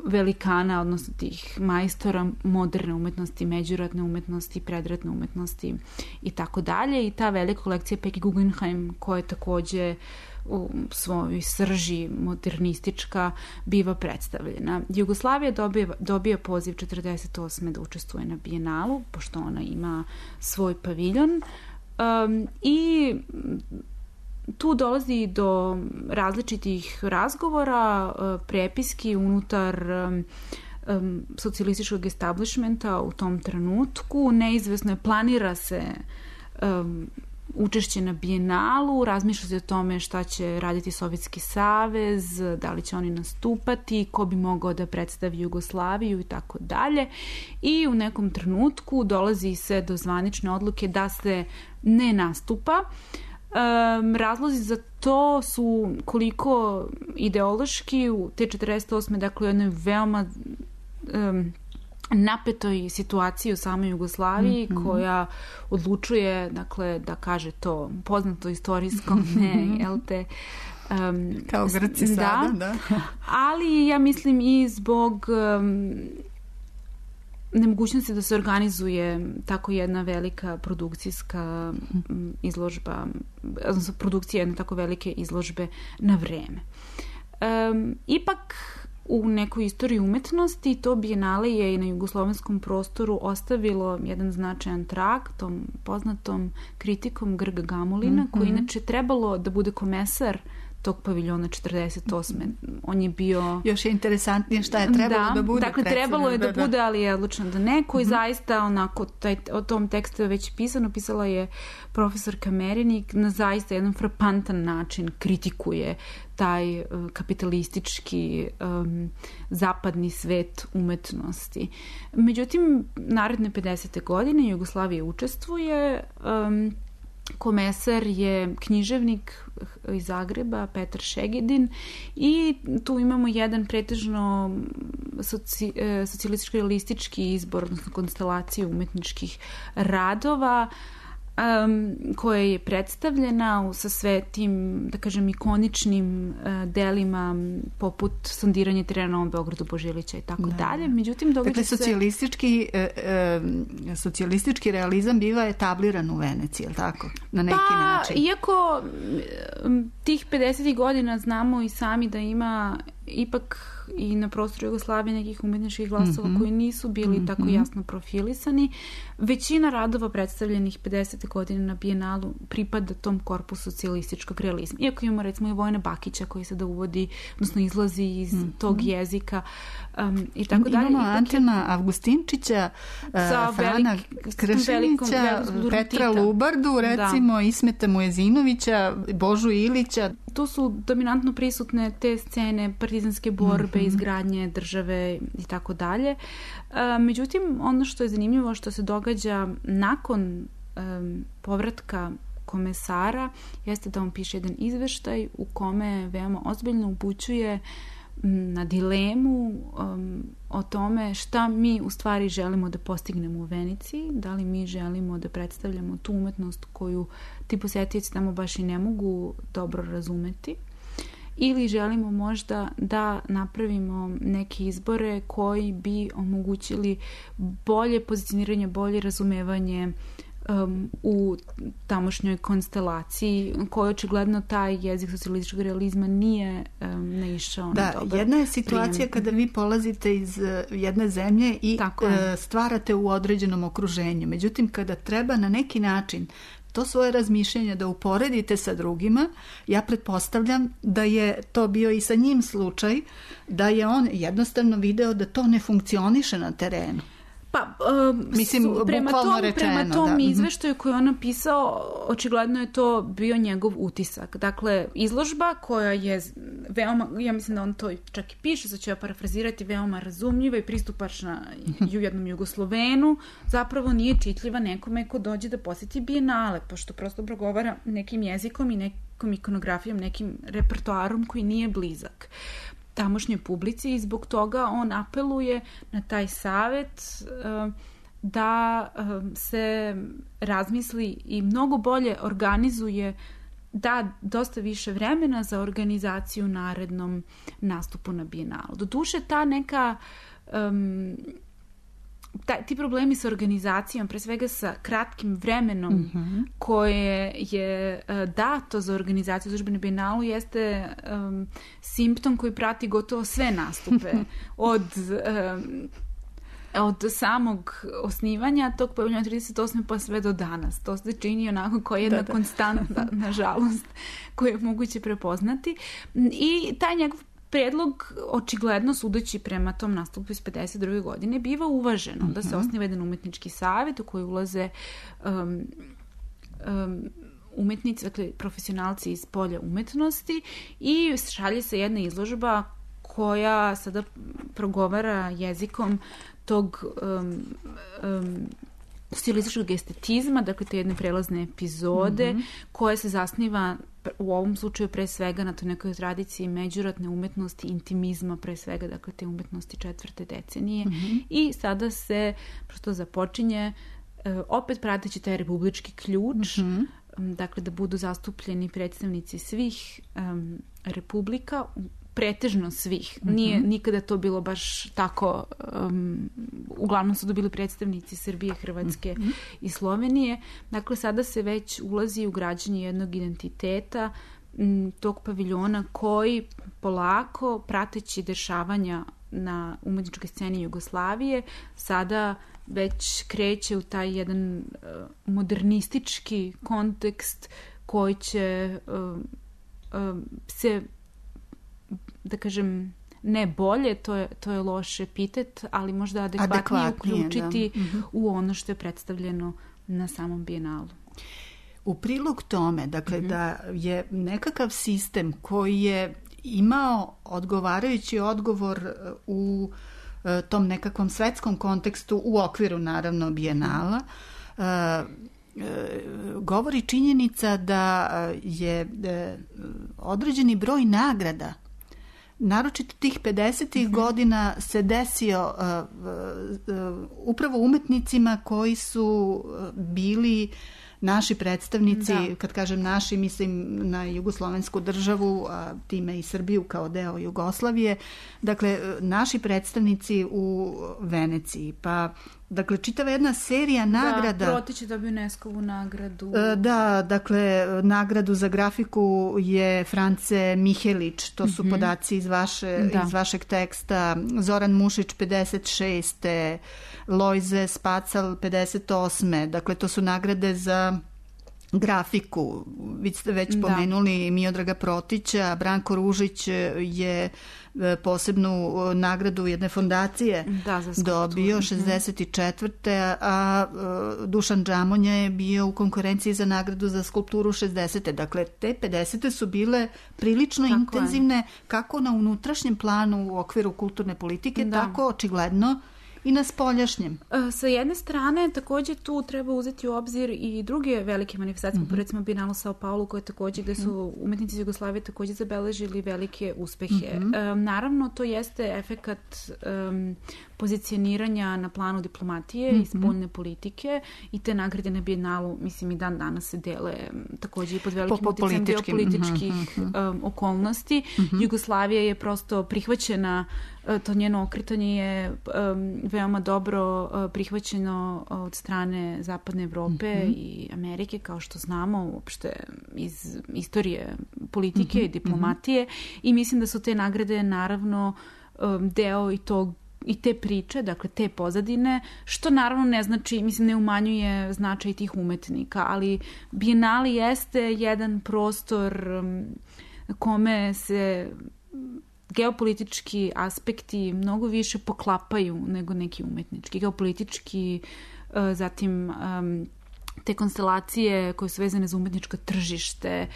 velikana, odnosno tih majstora moderne umetnosti, međuratne umetnosti, predratne umetnosti i tako dalje. I ta velika kolekcija Peggy Guggenheim, koja je takođe u svojoj srži modernistička, biva predstavljena. Jugoslavija dobije, dobije poziv četrdeset osme da učestvuje na Bijenalu, pošto ona ima svoj paviljon. Um, I tu dolazi do različitih razgovora, prepiski unutar um, socijalističkog establishmenta u tom trenutku. Neizvesno je, planira se um, učešće na Bijenalu, razmišlja se o tome šta će raditi Sovjetski savez, da li će oni nastupati, ko bi mogao da predstavi Jugoslaviju i tako dalje. I u nekom trenutku dolazi se do zvanične odluke da se ne nastupa. Um, razlozi za to su koliko ideološki u te četrdeset osme dakle u jednoj veoma um, napetoj situaciji u samoj Jugoslaviji mm-hmm. koja odlučuje dakle da kaže to poznato istorijskom ne, jel te um, kao Grci da, sada da. Ali ja mislim i zbog um, nemogućnosti da se organizuje tako jedna velika produkcijska izložba, odnosno produkcija jedne tako velike izložbe na vreme. Um, ipak u nekoj istoriji umetnosti to bijenale je i na jugoslovenskom prostoru ostavilo jedan značajan trag tom poznatom kritikom Grga Gamulina, mm-hmm. koji inače trebalo da bude komesar tog paviljona četrdeset osme On je bio... Još je interesantnije šta je trebalo da, da bude. Dakle, trebalo je da, da bude, ali je odlučno da ne. Koji mm-hmm. zaista, onako, taj, o tom tekstu je već pisano. Pisala je profesorka Merinik na zaista jedan frapantan način kritikuje taj uh, kapitalistički um, zapadni svet umetnosti. Međutim, naredne pedesete godine Jugoslavija učestvuje. Um, komesar je književnik iz Zagreba, Petar Šegedin, i tu imamo jedan pretežno soci, socijalistički izbor, odnosno konstelaciju umetničkih radova, um, koja je predstavljena sa sve tim, da kažem, ikoničnim uh, delima poput sondiranje terena na Novom Beogradu, Božilića i tako da. dalje. Međutim, događa dakle, se... socijalistički, e, e, socijalistički realizam biva etabliran u Veneciji, je li tako? Na neki pa, način. Iako tih pedesetih godina znamo i sami da ima ipak i na prostoru Jugoslavije nekih umetničkih glasova mm-hmm. koji nisu bili mm-hmm. tako jasno profilisani. Većina radova predstavljenih pedesete godine na Bijenalu pripada tom korpusu socijalističkog realizma. Iako imamo recimo i Vojina Bakića koji sada uvodi, odnosno izlazi iz mm-hmm. tog jezika um, i tako dalje. Imamo Antona Avgustinčića, uh, Frana Kršinića, Petra Lubardu, recimo da. Ismeta Mujezinovića, Božu Ilića. Tu su dominantno prisutne te scene partizanske borbe, mm-hmm. izgradnje države i tako dalje. Međutim, ono što je zanimljivo što se događa nakon um, povratka komesara jeste da on piše jedan izveštaj u kome veoma ozbiljno upućuje na dilemu um, o tome šta mi u stvari želimo da postignemo u Veneciji, da li mi želimo da predstavljamo tu umetnost koju ti posetioci tamo baš i ne mogu dobro razumeti, ili želimo možda da napravimo neke izbore koji bi omogućili bolje pozicioniranje, bolje razumevanje um, u tamošnjoj konstelaciji, koji očigledno taj jezik socijalističkog realizma nije um, naišao da, na dobar. Da, jedna je situacija prijem. Kada vi polazite iz uh, jedne zemlje i uh, stvarate u određenom okruženju. Međutim, kada treba na neki način to svoje razmišljanje da uporedite sa drugima, ja pretpostavljam da je to bio i sa njim slučaj, da je on jednostavno video da to ne funkcioniše na terenu. Pa, um, mislim, prema tom, rečeno, prema tom da. izveštaju koji on napisao, očigledno je to bio njegov utisak. Dakle, izložba koja je veoma, ja mislim da on to čak i piše, sad ću ja parafrazirati, veoma razumljiva i pristupačna u jednom Jugoslovenu, zapravo nije čitljiva nekome ko dođe da posjeti Bijenale, pošto prosto progovara nekim jezikom i nekom ikonografijom, nekim repertoarom koji nije blizak tamošnjoj publici, i zbog toga on apeluje na taj savet uh, da uh, se razmisli i mnogo bolje organizuje, da dosta više vremena za organizaciju narednom nastupu na Bijenalu. Doduše, ta neka um, ta, ti problemi sa organizacijom, pre svega sa kratkim vremenom mm-hmm. koje je uh, dato za organizaciju izložbe na Bijenalu, jeste um, simptom koji prati gotovo sve nastupe od um, od samog osnivanja tog paviljona trideset osme pa sve do danas. To se čini onako kao jedna da, da. konstanta, nažalost, koju je moguće prepoznati. I taj njegov predlog, očigledno sudeći prema tom nastupu iz pedeset druge godine, biva uvaženo uh-huh. da se osniva jedan umetnički savjet u koji ulaze um, um, umetnici, dakle profesionalci iz polja umetnosti, i šalje se jedna izložba koja sada progovara jezikom tog um, um, stilističkog estetizma, dakle te jedne prelazne epizode mm-hmm. koje se zasniva u ovom slučaju pre svega na toj nekoj tradiciji međuratne umetnosti, intimizma pre svega, dakle te umetnosti četvrte decenije mm-hmm. i sada se prosto započinje opet prateći taj republički ključ, mm-hmm. dakle da budu zastupljeni predstavnici svih um, republika, pretežno svih. Mm-hmm. Nije nikada to bilo baš tako, um, uglavnom su to bili predstavnici Srbije, Hrvatske mm-hmm. i Slovenije. Dakle, sada se već ulazi u građenje jednog identiteta m, tog paviljona koji polako, prateći dešavanja na umetničkoj sceni Jugoslavije, sada već kreće u taj jedan uh, modernistički kontekst koji će uh, uh, se, da kažem, ne bolje, to je, to je loš epitet, ali možda adekvatnije, adekvatnije uključiti da. Mm-hmm. u ono što je predstavljeno na samom Bijenalu. U prilog tome, dakle, mm-hmm. da je nekakav sistem koji je imao odgovarajući odgovor u tom nekakvom svetskom kontekstu u okviru, naravno, Bijenala, uh, uh, govori činjenica da je uh, određeni broj nagrada, naročito tih pedesetih mm-hmm. godina, se desio uh, uh, upravo umetnicima koji su bili naši predstavnici, da. Kad kažem naši, mislim na jugoslovensku državu, a time i Srbiju kao deo Jugoslavije, dakle, naši predstavnici u Veneciji, pa dakle, čitava jedna serija nagrada. Da, Protić je dobio UNESCO-vu nagradu. Da, dakle, nagradu za grafiku je France Mihelić, to su mm-hmm. podaci iz, vaše, iz vašeg teksta, Zoran Mušić pedeset šeste Lojze Spacal pedeset osme Dakle, to su nagrade za grafiku. Vi ste već da. pomenuli Miodraga Protića, Branko Ružić je posebnu nagradu jedne fondacije da, dobio šezdeset četvrte a Dušan Džamonja je bio u konkurenciji za nagradu za skulpturu šezdesete Dakle, te pedesete su bile prilično tako intenzivne, je. kako na unutrašnjem planu u okviru kulturne politike, da. tako očigledno i na spoljašnjem. Sa jedne strane, takođe tu treba uzeti u obzir i druge velike manifestacije, mm-hmm. recimo Bienalo Sao Paulo, koje takođe, gde su umetnici iz Jugoslavije takođe zabeležili velike uspehe. Mm-hmm. Um, naravno, to jeste efekat um, pozicioniranja na planu diplomatije mm-hmm. i spoljne politike i te nagrade na Bienalu, mislim, i dan danas se dele takođe i pod velikim po, po uticajem geopolitičkih mm-hmm. um, okolnosti. Mm-hmm. Jugoslavija je prosto prihvaćena, to njeno okretanje je um, veoma dobro uh, prihvaćeno od strane Zapadne Evrope mm-hmm. i Amerike, kao što znamo uopšte iz istorije politike mm-hmm. i diplomatije mm-hmm. i mislim da su te nagrade naravno um, deo i tog i te priče, dakle te pozadine, što naravno ne znači, mislim, ne umanjuje značaj tih umetnika, ali Bienali jeste jedan prostor um, kome se geopolitički aspekti mnogo više poklapaju nego neki umetnički. Geopolitički, zatim te konstelacije koje su vezane za umetničko tržište,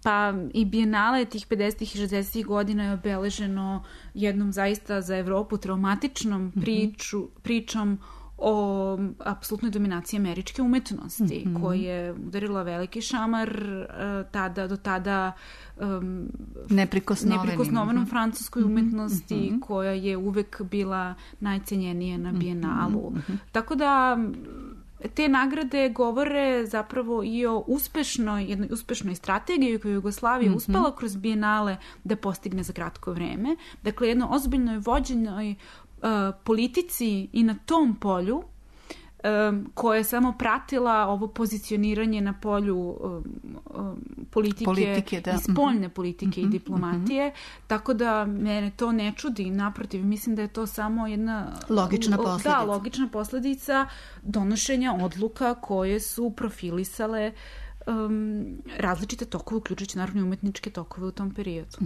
pa i Bienale tih pedesetih i šezdesetih godina je obeleženo jednom zaista za Evropu traumatičnom priču, pričom o apsolutnoj dominaciji američke umetnosti, mm-hmm. koja je udarila veliki šamar tada, do tada um, neprikosnovanom mm-hmm. francuskoj umetnosti, mm-hmm. koja je uvek bila najcenjenija na Bienalu. Mm-hmm. Tako da te nagrade govore zapravo i o uspešnoj, jednoj uspešnoj strategiji koju je Jugoslavija mm-hmm. uspela kroz Bienale da postigne za kratko vreme. Dakle, jedno ozbiljnoj vođenoj Uh, politici i na tom polju um, koja je samo pratila ovo pozicioniranje na polju um, um, politike, politike da. i spoljne politike mm-hmm. i diplomatije, mm-hmm. tako da mene to ne čudi, naprotiv, mislim da je to samo jedna logična posledica, da, logična posledica donošenja odluka koje su profilisale Um, različite tokove, uključujući naravno umetničke tokove u tom periodu.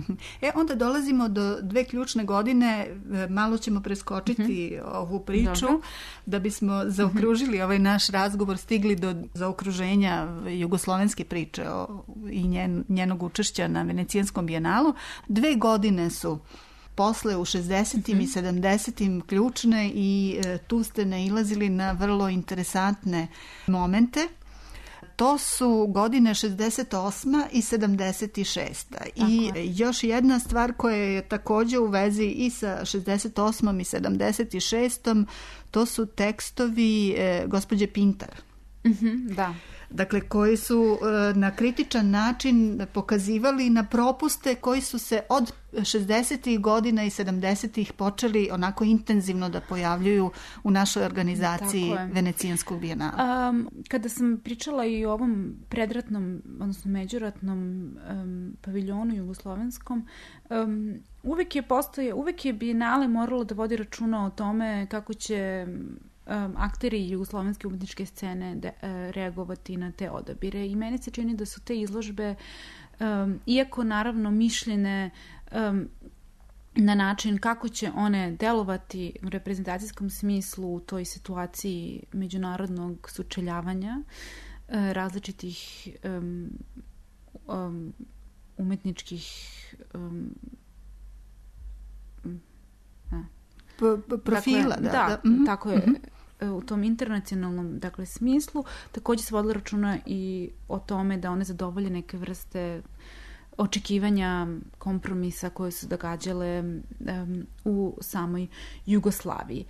E, onda dolazimo do dve ključne godine, malo ćemo preskočiti mm-hmm. ovu priču, Dobre. da bismo zaokružili mm-hmm. ovaj naš razgovor, stigli do zaokruženja jugoslovenske priče o, i njen, njenog učešća na Venecijanskom bijenalu. Dve godine su posle u šezdesetim mm-hmm. i sedamdesetim ključne i e, tu ste nailazili na vrlo interesantne momente. To su godine šezdeset osma i sedamdeset šesta. I još jedna stvar koja je takođe u vezi i sa šezdeset osmom i sedamdeset šestom, to su tekstovi e, gospođe Pintar. Mm-hmm, da. Dakle, koji su e, na kritičan način pokazivali na propuste koji su se od šezdesetih godina i sedamdesetih počeli onako intenzivno da pojavljuju u našoj organizaciji Venecijanskog bijenala. Um, kada sam pričala i o ovom predratnom, odnosno međuratnom um, paviljonu jugoslovenskom, um, uvek je postoje, uvek je bijenale moralo da vodi računa o tome kako će Um, akteri jugoslovenske umetničke scene de, uh, reagovati na te odabire i meni se čini da su te izložbe, um, iako naravno mišljene um, na način kako će one delovati u reprezentacijskom smislu u toj situaciji međunarodnog sučeljavanja uh, različitih um, um, umetničkih um, P- profila. Dakle, da, da, da. Mm-hmm. tako je. Mm-hmm. U tom internacionalnom, dakle, smislu takođe se vodila računa i o tome da one zadovolje neke vrste očekivanja kompromisa koje su događale um, u samoj Jugoslaviji.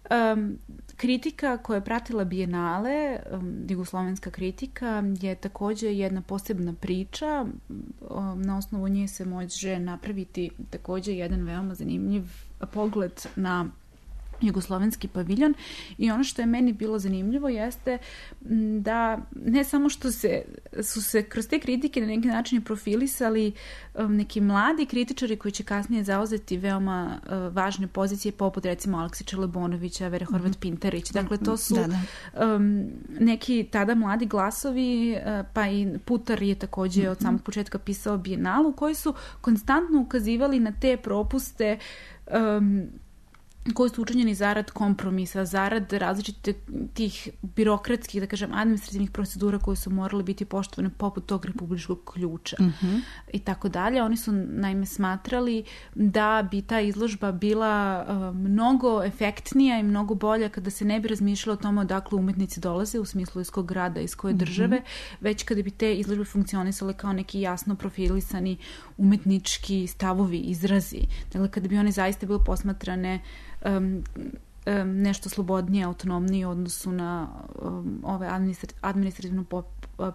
Um, kritika koja je pratila bijenale, um, jugoslovenska kritika, je takođe jedna posebna priča. Um, na osnovu nje se može napraviti takođe jedan veoma zanimljiv pogled na jugoslovenski paviljon i ono što je meni bilo zanimljivo jeste da ne samo što se, su se kroz te kritike na neki način profilisali um, neki mladi kritičari koji će kasnije zauzeti veoma uh, važne pozicije poput recimo Aleksića Lebonovića, Vere Horvat Pintarić. Dakle, to su da, da. Um, neki tada mladi glasovi, uh, pa i Putar je takođe mm-hmm. od samog početka pisao bijenalu, koji su konstantno ukazivali na te propuste um, koji su učinjeni zarad kompromisa, zarad različitih tih birokratskih, da kažem, administrativnih procedura koje su morale biti poštovane poput tog republičkog ključa mm-hmm. i tako dalje. Oni su naime smatrali da bi ta izložba bila uh, mnogo efektnija i mnogo bolja kada se ne bi razmišljalo o tome odakle umetnici dolaze u smislu iz kog grada, iz koje države, mm-hmm. već kada bi te izložbe funkcionisale kao neki jasno profilisani umetnički stavovi, izrazi. Dakle, kada bi one zaista bile posmatrane Um, um, nešto slobodnije, autonomnije u odnosu na um, ove administrat- administrativno pop,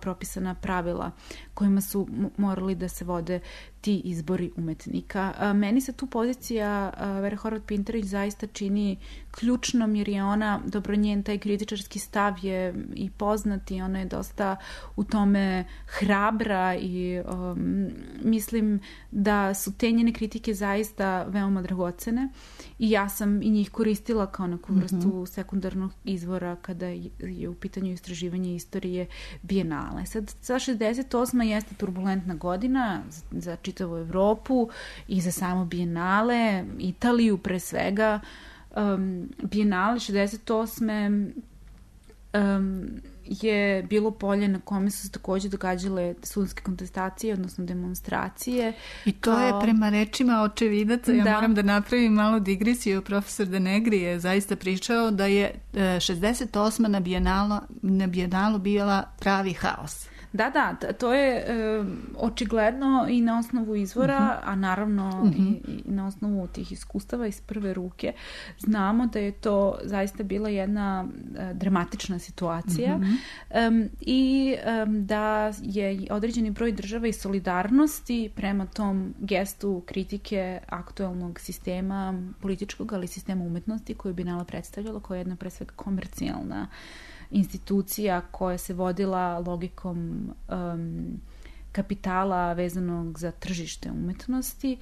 propisana pravila kojima su morali da se vode ti izbori umetnika. A, meni se tu pozicija Vere Horvat Pintarić zaista čini ključnom jer je ona, dobro, njen taj kritičarski stav je i poznat i ona je dosta u tome hrabra i um, mislim da su te njene kritike zaista veoma dragocene i ja sam i njih koristila kao neku vrstu mm-hmm. sekundarnog izvora kada je u pitanju istraživanje istorije bijenale. Sad, sa šezdeset osma jeste turbulentna godina za čitavu Evropu i za samo bijenale, Italiju pre svega. Um, bijenale šezdeset osme Um, je bilo polje na kome su se takođe događale studentske kontestacije, odnosno demonstracije. I to kao... je prema rečima očevidaca, ja da. moram da napravim malu digresiju, profesor Denegri je zaista pričao da je šezdeset osma na bijenalu, na bijenalu bila pravi haos. Da, da, to je e, očigledno i na osnovu izvora, uh-huh. a naravno uh-huh. i, i na osnovu tih iskustava iz prve ruke. Znamo da je to zaista bila jedna e, dramatična situacija uh-huh. e, i e, da je određeni broj država i solidarnosti prema tom gestu kritike aktuelnog sistema političkog, ali sistema umetnosti koju bi Bijenala predstavljala, koja je jedna pre svega komercijalna institucija koja se vodila logikom um, kapitala vezanog za tržište umetnosti.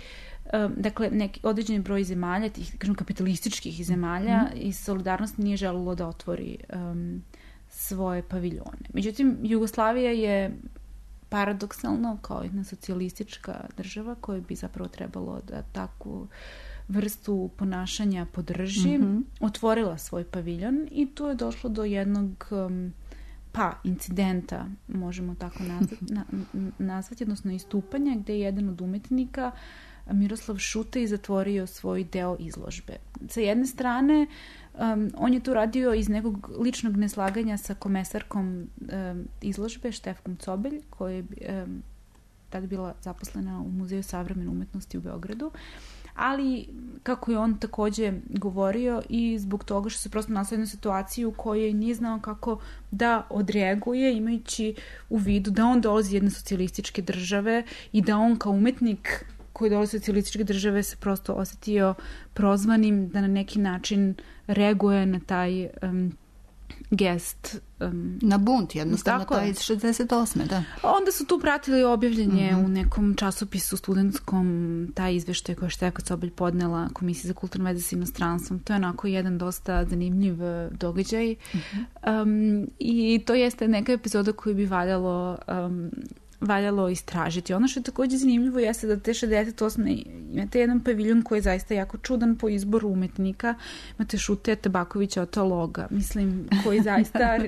Um, dakle, neki određeni broj zemalja, tih kažem, kapitalističkih zemalja mm-hmm. i solidarnost nije želilo da otvori um, svoje paviljone. Međutim, Jugoslavija je paradoksalno kao jedna socijalistička država koja bi zapravo trebalo da takvu vrstu ponašanja podrži, mm-hmm. otvorila svoj paviljon i tu je došlo do jednog um, pa incidenta, možemo tako nazvati, na, nazvati, odnosno istupanja, gde je jedan od umetnika Miroslav Šuta i zatvorio svoj deo izložbe. Sa jedne strane, um, on je tu radio iz nekog ličnog neslaganja sa komesarkom um, izložbe, Štefkom Cobelj, koja je um, tada bila zaposlena u Muzeju savremene umetnosti u Beogradu, ali kako je on takođe govorio i zbog toga što se prosto našao jednu situaciju u kojoj nije znao kako da odreaguje, imajući u vidu da on dolazi iz jedne socijalističke države i da on kao umetnik koji dolazi iz socijalističke države se prosto osetio prozvanim da na neki način reaguje na taj um, gest. Um, na bunt, jednostavno, taj iz šezdeset osme da. Onda su tu pratili objavljanje mm-hmm. u nekom časopisu studentskom, taj izveštaj koji je Štefka Cobelj podnela Komisiji za kulturne veze s inostranstvom. To je onako jedan dosta zanimljiv događaj. Mm-hmm. Um, I to jeste neka epizoda koju bi valjalo um, valjalo istražiti. Ono što je takođe zanimljivo jeste da te šezdeset osme imate jedan paviljon koji je zaista jako čudan po izboru umetnika. Imate Šute, Tabakovića, Otologa, mislim, koji zaista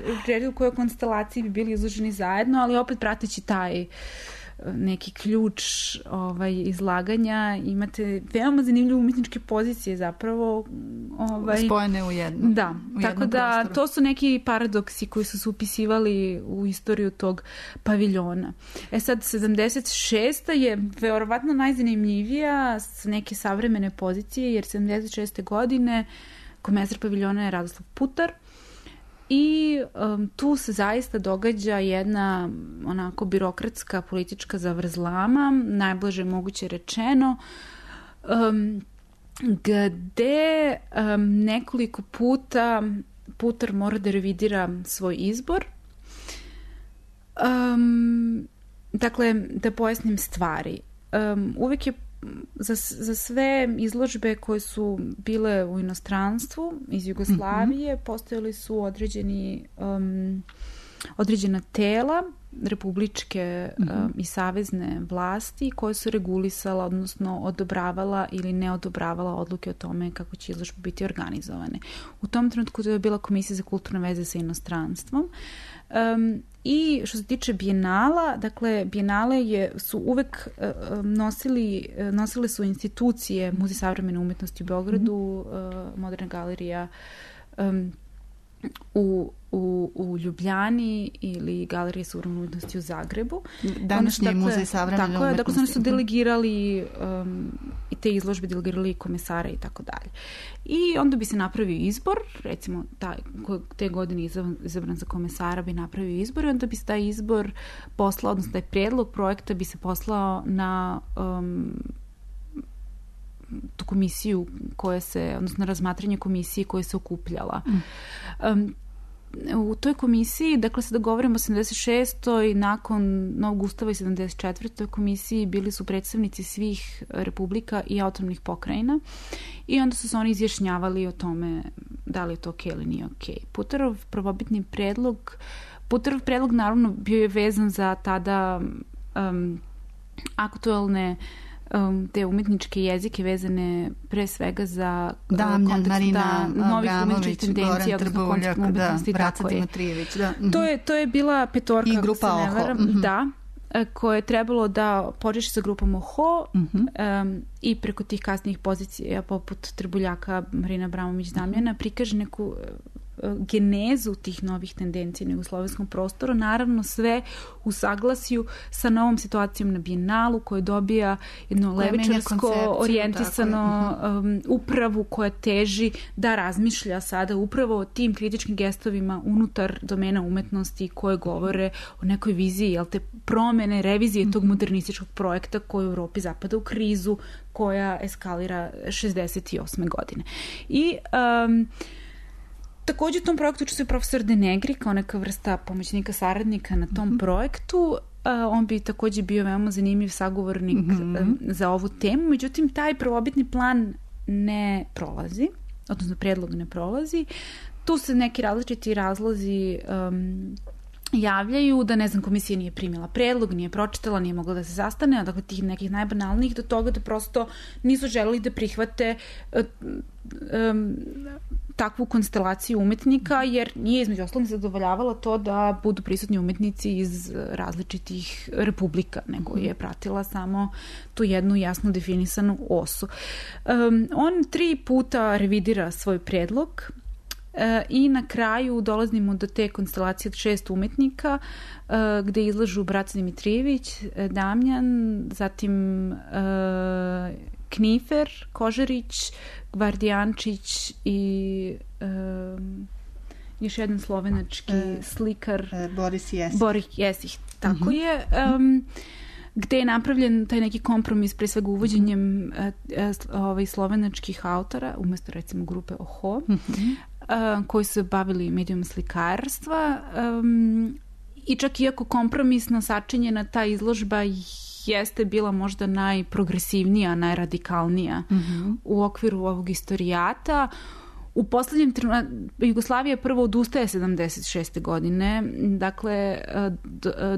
u kojoj konstelaciji bi bili izloženi zajedno, ali opet prateći taj neki ključ ovaj, izlaganja. Imate veoma zanimljive umetničke pozicije zapravo. Ovaj, spojene u jednu. Da, u tako da prostoru. To su neki paradoksi koji su se upisivali u istoriju tog paviljona. E sad, sedamdeset šesta je verovatno najzanimljivija s neke savremene pozicije, jer sedamdeset šeste godine komesar paviljona je Radoslav Putar, i um, tu se zaista događa jedna onako birokratska politička zavrzlama, najblaže moguće rečeno, um, gde um, nekoliko puta Putar mora da revidira svoj izbor. Um, dakle, da pojasnim stvari. Um, uvek je Za, za sve izložbe koje su bile u inostranstvu iz Jugoslavije mm-hmm. postojali su određeni um, određena tela republičke mm-hmm. um, i savezne vlasti koje su regulisala, odnosno odobravala ili ne odobravala odluke o tome kako će izložbe biti organizovane. U tom trenutku to je bila Komisija za kulturne veze sa inostranstvom. Um, I što se tiče bijenala, dakle, bijenale je, su uvek uh, nosili, nosile su institucije Muzej savremene umetnosti u Beogradu, mm-hmm. uh, Moderna galerija um, u, u, u Ljubljani ili Galerija savremene umetnosti u Zagrebu. Današnji dakle, Muzej savremene umetnosti. Tako je, dakle, oni su delegirali um, i te izložbe delegirali komesare i tako dalje. I onda bi se napravio izbor, recimo taj, te godine izabran za komesara bi napravio izbor i onda bi se taj izbor poslao, odnosno taj prijedlog projekta bi se poslao na um, tu komisiju koja se, odnosno razmatranje komisije koja se okupljala. Mm. Um, u toj komisiji, dakle sada govorimo o sedamdeset šestoj nakon Novog ustava i sedamdeset četvrtoj komisiji bili su predstavnici svih republika i autonomnih pokrajina i onda su se oni izjašnjavali o tome da li je to okej ili nije okej. Putarov prvobitni predlog, Putarov predlog naravno bio je vezan za tada um, aktuelne Um, te umetničke jezike vezane pre svega za Damljan, kontekst Marina, da, novih umetničkih tendencija, odnosno kontekst umetnosti, da, tako je. Da. Mm-hmm. To je. To je bila petorka, i grupa ako se ne varam, mm-hmm. da, koje je trebalo da počeši sa grupom Oho mm-hmm. um, i preko tih kasnijih pozicija poput Trbuljaka, Marina Abramović, Damljana, mm-hmm. prikaže neku genezu tih novih tendencija na jugoslovenskom prostoru, naravno sve u saglasju sa novom situacijom na Bijenalu koja dobija jedno levičarsko orijentisano um, upravu koja teži da razmišlja sada upravo o tim kritičkim gestovima unutar domena umetnosti koje govore o nekoj viziji, jel te, promene, revizije tog modernističkog projekta koji u Evropi zapada u krizu, koja eskalira šezdeset osme godine. I um, takođe u tom projektu učestvuje profesor De Negri kao neka vrsta pomoćnika saradnika na tom mm-hmm. projektu. Uh, on bi takođe bio veoma zanimljiv sagovornik mm-hmm. um, za ovu temu. Međutim, taj prvobitni plan ne prolazi, odnosno predlog ne prolazi. Tu se neki različiti razlozi um, javljaju da, ne znam, komisija nije primila predlog, nije pročitala, nije mogla da se sastane, dakle tih nekih najbanalnijih do toga da prosto nisu želeli da prihvate uh, um, takvu konstelaciju umetnika, jer nije između ostalog zadovoljavala to da budu prisutni umetnici iz različitih republika, nego je pratila samo tu jednu jasno definisanu osu. Um, on tri puta revidira svoj predlog e, i na kraju dolazimo do te konstelacije od šest umetnika e, gde izlažu Braca Dimitrijević, Damjan, zatim e, Knifer, Kožarić, Gvardijančić i um, još jedan slovenački e, slikar e, Boris Jesih. Boris Jesih, tako uh-huh. je. Um, gde je napravljen taj neki kompromis pre svega uvođenjem uh-huh. uh, ovaj, slovenačkih autora umesto recimo grupe Oho, uh-huh. uh, koji su bavili medijom slikarstva um, i čak iako kompromisno sačinjena ta izložba jeste bila možda najprogresivnija, najradikalnija mm-hmm. u okviru ovog istorijata. U poslednjem trenutku Jugoslavija prvo odustaje sedamdeset šeste godine, dakle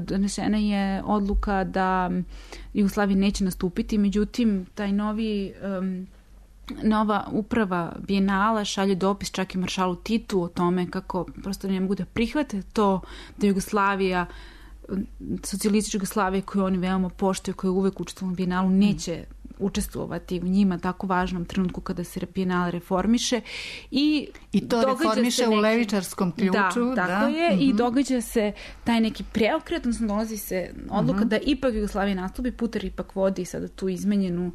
donesena je odluka da Jugoslavija neće nastupiti, međutim taj novi um, nova uprava Bijenala šalje dopis čak i maršalu Titu o tome kako prosto ne mogu da prihvate to da Jugoslavija, socijalistička Jugoslavija koju oni veoma poštuju, koja je uvek učestvovala u Bijenalu, neće učestvovati u njima tako važnom trenutku kada se Bijenal reformiše i, I to reformiše neki, u levičarskom ključu. Da, tako da. je, mm-hmm. i događa se taj neki preokret, odnosno dolazi se odluka mm-hmm. da ipak Jugoslavija nastupi, Putar ipak vodi sada tu izmenjenu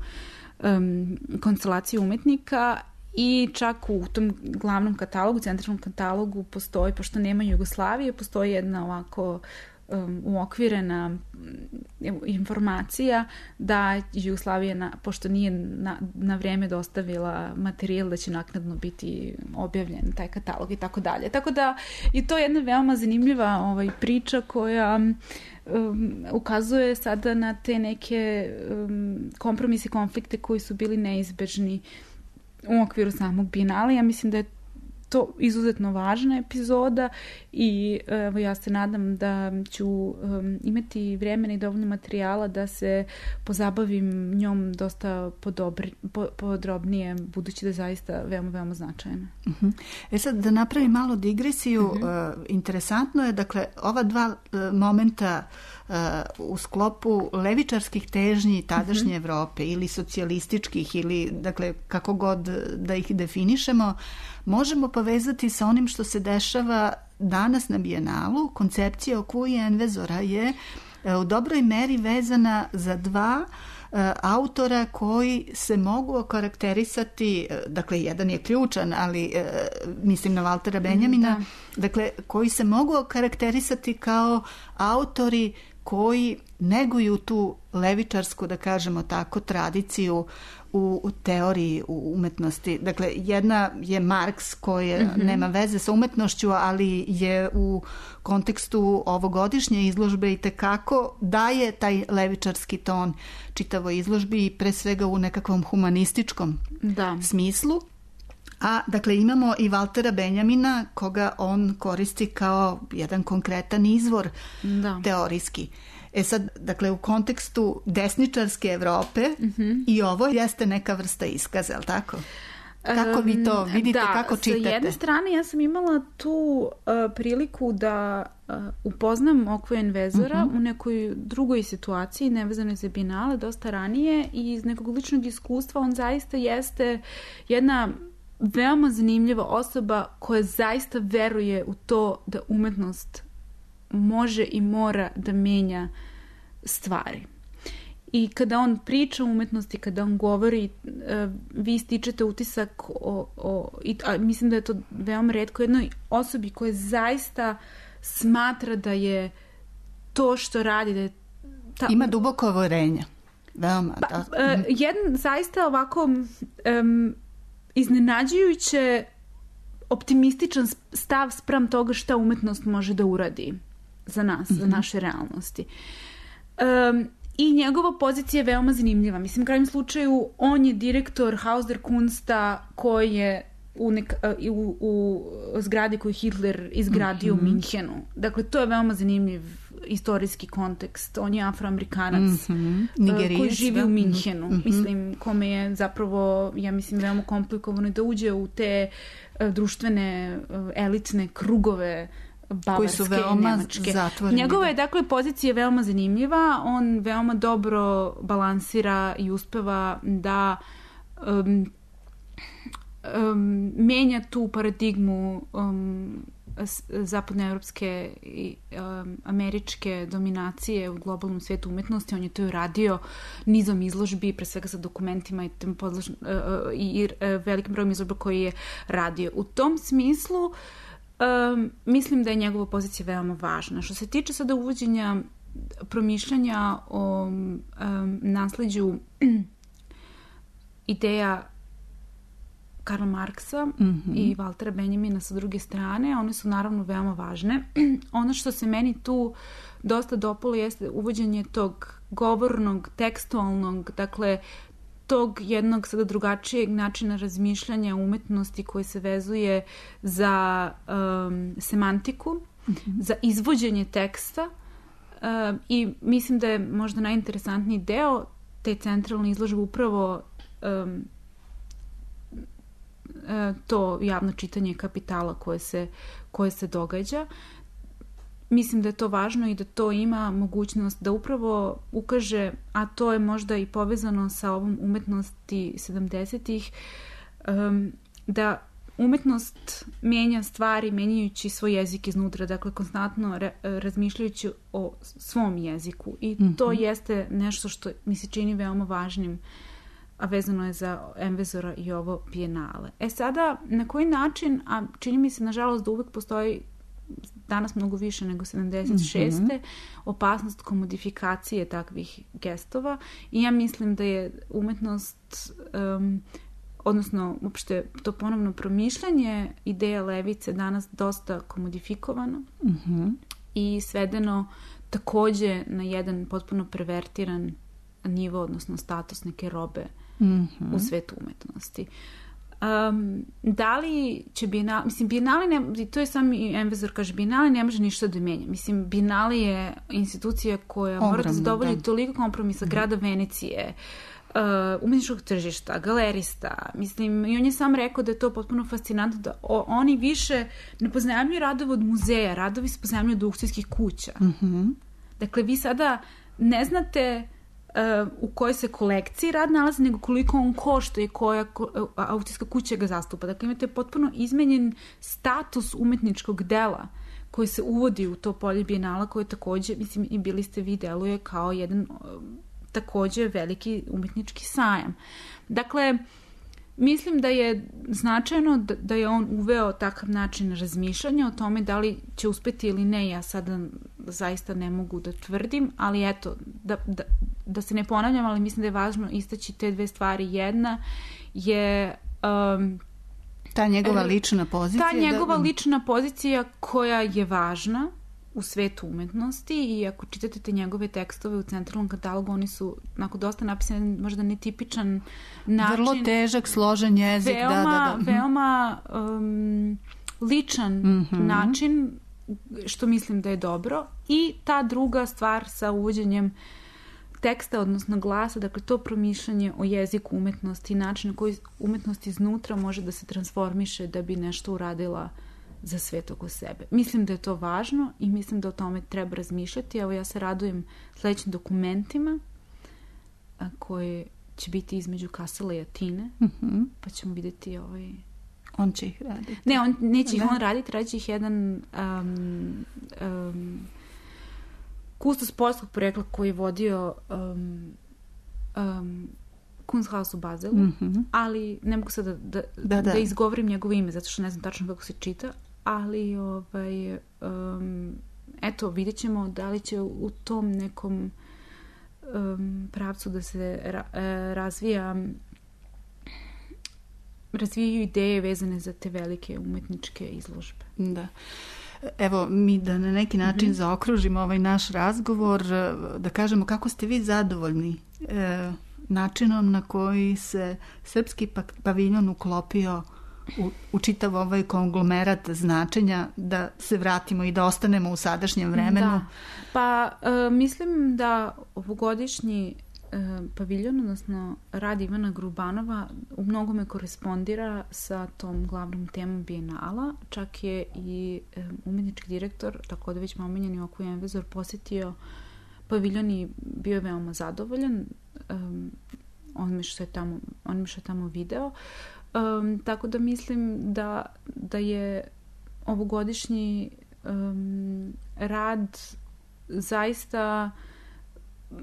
um, konstelaciju umetnika i čak u tom glavnom katalogu, centralnom katalogu postoji, pošto nema Jugoslavije, postoji jedna ovako um, uokvirena informacija da Jugoslavija, na, pošto nije na, na vreme dostavila materijal, da će naknadno biti objavljen taj katalog i tako dalje. Tako da je to jedna veoma zanimljiva ovaj, priča koja um, ukazuje sada na te neke um, kompromise, konflikte koji su bili neizbežni u okviru samog Bijenala. Ja mislim da je to izuzetno važna epizoda i evo, ja se nadam da ću um, imati vremena i dovoljno materijala da se pozabavim njom dosta podobri, po, podrobnije, budući da je zaista veoma, veoma značajna. Uh-huh. E sad, da napravim malo digresiju, uh-huh. uh, interesantno je, dakle, ova dva uh, momenta uh, u sklopu levičarskih težnji tadašnje uh-huh. Evrope ili socijalističkih ili, dakle, kako god da ih definišemo, možemo povezati sa onim što se dešava danas na Bijenalu. Koncepcija Okuje Envezora je u dobroj meri vezana za dva uh, autora koji se mogu okarakterisati, dakle jedan je ključan, ali uh, mislim na Valtera Benjamina, da. Dakle koji se mogu okarakterisati kao autori koji neguju tu levičarsku, da kažemo tako, tradiciju u, u teoriji u umetnosti. Dakle, jedna je Marks koji mm-hmm. nema veze sa umetnošću, ali je u kontekstu ovogodišnje izložbe i tekako daje taj levičarski ton čitavoj izložbi i pre svega u nekakvom humanističkom da. smislu. A, dakle, imamo i Valtera Benjamina, koga on koristi kao jedan konkretan izvor da. teorijski. E sad, dakle, u kontekstu desničarske Evrope mm-hmm. i ovo jeste neka vrsta iskaza, ali tako? Kako vi to vidite, da, kako čitate? Da, sa jedne strane ja sam imala tu uh, priliku da uh, upoznam Okvu Envezora uh-huh. u nekoj drugoj situaciji, nevezanoj za Bijenale, dosta ranije, i iz nekog ličnog iskustva on zaista jeste jedna veoma zanimljiva osoba koja zaista veruje u to da umetnost može i mora da menja stvari. I kada on priča o umetnosti, kada on govori, vi stičete utisak o, o i, a mislim da je to veoma retko, jednoj osobi koja zaista smatra da je to što radi, da je ta... Ima duboko uverenje. Veoma, pa, da. Uh, jedan zaista ovako um, iznenađujuće optimističan stav spram toga šta umetnost može da uradi za nas, mm-hmm. za naše realnosti. Um, I njegova pozicija je veoma zanimljiva. Mislim, u krajnjem slučaju, on je direktor Haus der Kunsta koji je u, nek, u, u zgradi koju Hitler izgradio mm-hmm. u Minhenu. Dakle, to je veoma zanimljiv istorijski kontekst. On je afroamerikanac mm-hmm. koji živi da? u Minhenu. Mm-hmm. Mislim, kome je zapravo, ja mislim, veoma komplikovano da uđe u te uh, društvene, uh, elitne krugove Bavarske, koji su veoma Nemačke. zatvoreni. Njegova je, dakle, pozicija veoma zanimljiva. On veoma dobro balansira i uspeva da um, um, menja tu paradigmu um, zapadnoevropske i um, američke dominacije u globalnom svetu umetnosti. On je to i radio nizom izložbi, pre svega sa dokumentima i, podlož, uh, i, i uh, velikim brojem izložba koji je radio. U tom smislu um, mislim da je njegova pozicija veoma važna. Što se tiče sada uvođenja promišljanja o um, nasleđu ideja Karla Marksa mm-hmm. i Valtera Benjamina sa druge strane, one su naravno veoma važne. Ono što se meni tu dosta dopalo jeste uvođenje tog govornog, tekstualnog, dakle tog jednog sada drugačijeg načina razmišljanja umetnosti koji se vezuje za um, semantiku, mm-hmm. za izvođenje teksta um, i mislim da je možda najinteresantniji deo te centralne izložbe upravo um, to javno čitanje kapitala koje se, koje se događa. Mislim da je to važno i da to ima mogućnost da upravo ukaže, a to je možda i povezano sa ovom umetnosti sedamdesetih, um, da umetnost mijenja stvari menjajući svoj jezik iznutra, dakle konstantno re, razmišljajući o svom jeziku i mm-hmm. to jeste nešto što mi se čini veoma važnim, a vezano je za Envezora i ovo bijenale. E sada, na koji način, a čini mi se nažalost da uvek postoji danas mnogo više nego sedamdeset šeste Mm-hmm. opasnost komodifikacije takvih gestova i ja mislim da je umetnost, um, odnosno uopšte to ponovno promišljanje ideja levice danas dosta komodifikovano mm-hmm. i svedeno takođe na jedan potpuno pervertiran nivo, odnosno status neke robe mm-hmm. u svetu umetnosti. Um, da li će Bienale, mislim, Bienale, ne, to je sam i Envezor kaže, Bienale ne može ništa da menja. Mislim, Bienale je institucija koja Ogromno, mora da zadovolji da. toliko kompromisa mm-hmm. grada Venecije, uh, umetničkog tržišta, galerista, mislim, i on je sam rekao da je to potpuno fascinantno, da o, oni više ne poznajemljuju radove od muzeja, radovi se poznajemljuju od aukcijskih kuća. Mm-hmm. Dakle, vi sada ne znate Uh, u kojoj se kolekciji rad nalazi, nego koliko on košta i koja uh, aukcijska kuća ga zastupa. Dakle, imate potpuno izmenjen status umetničkog dela koji se uvodi u to polje Bijenala, koje takođe, mislim, i bili ste vi, deluje kao jedan uh, takođe veliki umetnički sajam. Dakle, mislim da je značajno da, da je on uveo takav način razmišljanja o tome da li će uspeti ili ne. Ja sada zaista ne mogu da tvrdim, ali eto, da, da, da se ne ponavljam, ali mislim da je važno istaći te dve stvari. Jedna je um, ta njegova lična pozicija. Ta njegova da... lična pozicija koja je važna u svetu umetnosti i ako čitate te njegove tekstove u centralnom katalogu, oni su onako dosta napisani, možda netipičan način. Vrlo težak, složen jezik. Veoma, da, da, da. veoma um, ličan mm-hmm. način, što mislim da je dobro. I ta druga stvar sa uvođenjem teksta, odnosno glasa, dakle to promišljanje o jeziku umetnosti i način na koji umetnost iznutra može da se transformiše da bi nešto uradila za svet oko sebe. Mislim da je to važno i mislim da o tome treba razmišljati. Evo, ja se radujem sledećim dokumentima a, koje će biti između Kassela i Atine, mm-hmm. pa ćemo vidjeti ovaj... On će ih raditi. Ne, on, neće ih on raditi, radit će ih jedan um, um, kustos poljskog porekla koji je vodio um, um, Kunsthaus u Bazelu, mm-hmm. ali ne mogu sad da, da, da, da. da izgovorim njegovo ime, zato što ne znam tačno kako se čita, ali ovaj, um, eto, vidjet ćemo da li će u tom nekom um, pravcu da se ra, razvija razvijaju ideje vezane za te velike umetničke izložbe. Da. Evo, mi da na neki način mm-hmm. zaokružimo ovaj naš razgovor, da kažemo kako ste vi zadovoljni e, načinom na koji se srpski paviljon uklopio u, u čitav ovaj konglomerat značenja da se vratimo i da ostanemo u sadašnjem vremenu? Da. Pa e, mislim da ovogodišnji e, paviljon, odnosno rad Ivana Grubanova u mnogome korespondira sa tom glavnom temom Bijenala. Čak je i e, umetnički direktor, tako da već omenjeni Oku Envezor, posjetio paviljon i bio je veoma zadovoljan um, onime što je tamo, onime što je tamo video. Um, tako da mislim da, da je ovogodišnji um, rad zaista,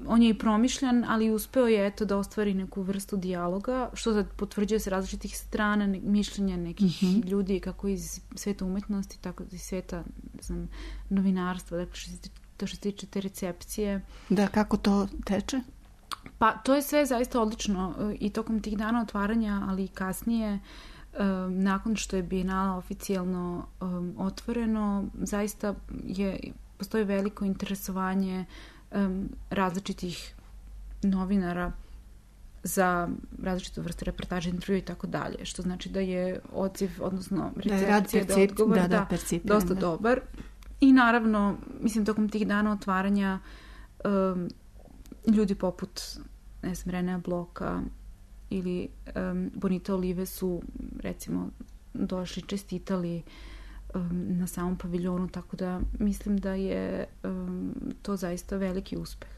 on je i promišljan, ali uspeo je eto da ostvari neku vrstu dijaloga, što sad potvrđuje se različitih strana, ne, mišljenja nekih mm-hmm. ljudi, kako iz sveta umetnosti, tako iz sveta, ne znam, novinarstva, dakle što se to što se tiče te recepcije. Da, kako to teče? Pa to je sve zaista odlično i tokom tih dana otvaranja, ali i kasnije, um, nakon što je Bijenala oficijalno um, otvoreno, zaista je, postoji veliko interesovanje um, različitih novinara za različite vrste reportaže, intervjua i tako dalje, što znači da je odziv, odnosno recepcija, da, da, odgovor, da, da, da dosta da. dobar. I naravno, mislim, tokom tih dana otvaranja um, ljudi poput, ne znam, Renea Bloka ili um, Bonita Olive su, recimo, došli, čestitali um, na samom paviljonu, tako da mislim da je um, to zaista veliki uspeh.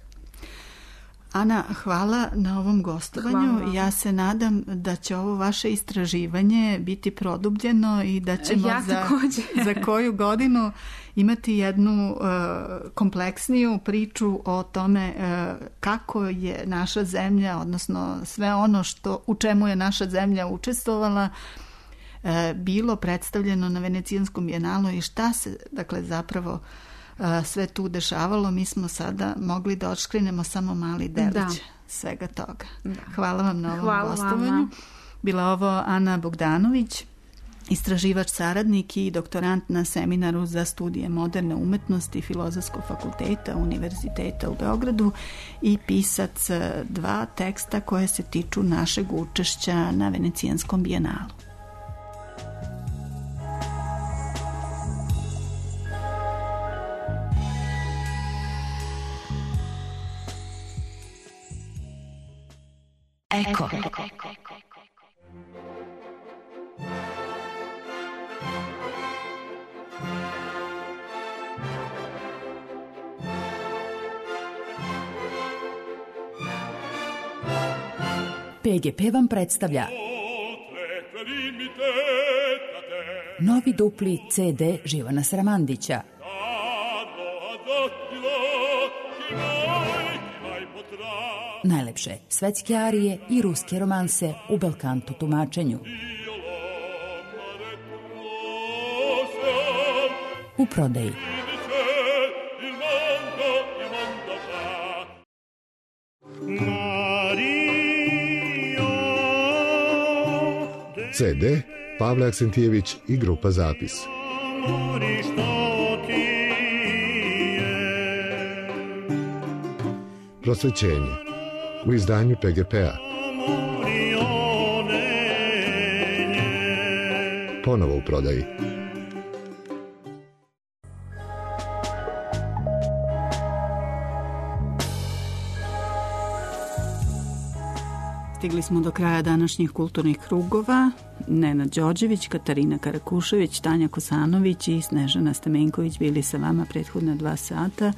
Ana, hvala na ovom gostovanju. Ja se nadam da će ovo vaše istraživanje biti produbljeno i da ćemo ja za, za koju godinu imati jednu uh, kompleksniju priču o tome uh, kako je naša zemlja, odnosno sve ono što, u čemu je naša zemlja učestvovala, uh, bilo predstavljeno na Venecijanskom bijenalu i šta se, dakle, zapravo sve tu dešavalo. Mi smo sada mogli da odškrinemo samo mali delić da. svega toga. Da. Hvala vam na ovom Hvala gostovanju. Vama. Bila ovo Ana Bogdanović, istraživač saradnik i doktorant na seminaru za studije moderne umetnosti Filozofskog fakulteta Univerziteta u Beogradu i pisac dva teksta koje se tiču našeg učešća na Venecijanskom bijenalu. Eko. P G P vam predstavlja novi dupli C D Živana Sramandića. Najlepše svetske arije i ruske romanse u belkanto tumačenju. U prodaji. C D Pavle Aksentijević i grupa Zapis. Prosvećenje u izdanju P G P-a. Ponovo u prodaji. Stigli smo do kraja današnjih kulturnih krugova. Nenad Đorđević, Katarina Karakušević, Tanja Kosanović i Snežana Stamenković bili sa vama prethodna dva sata.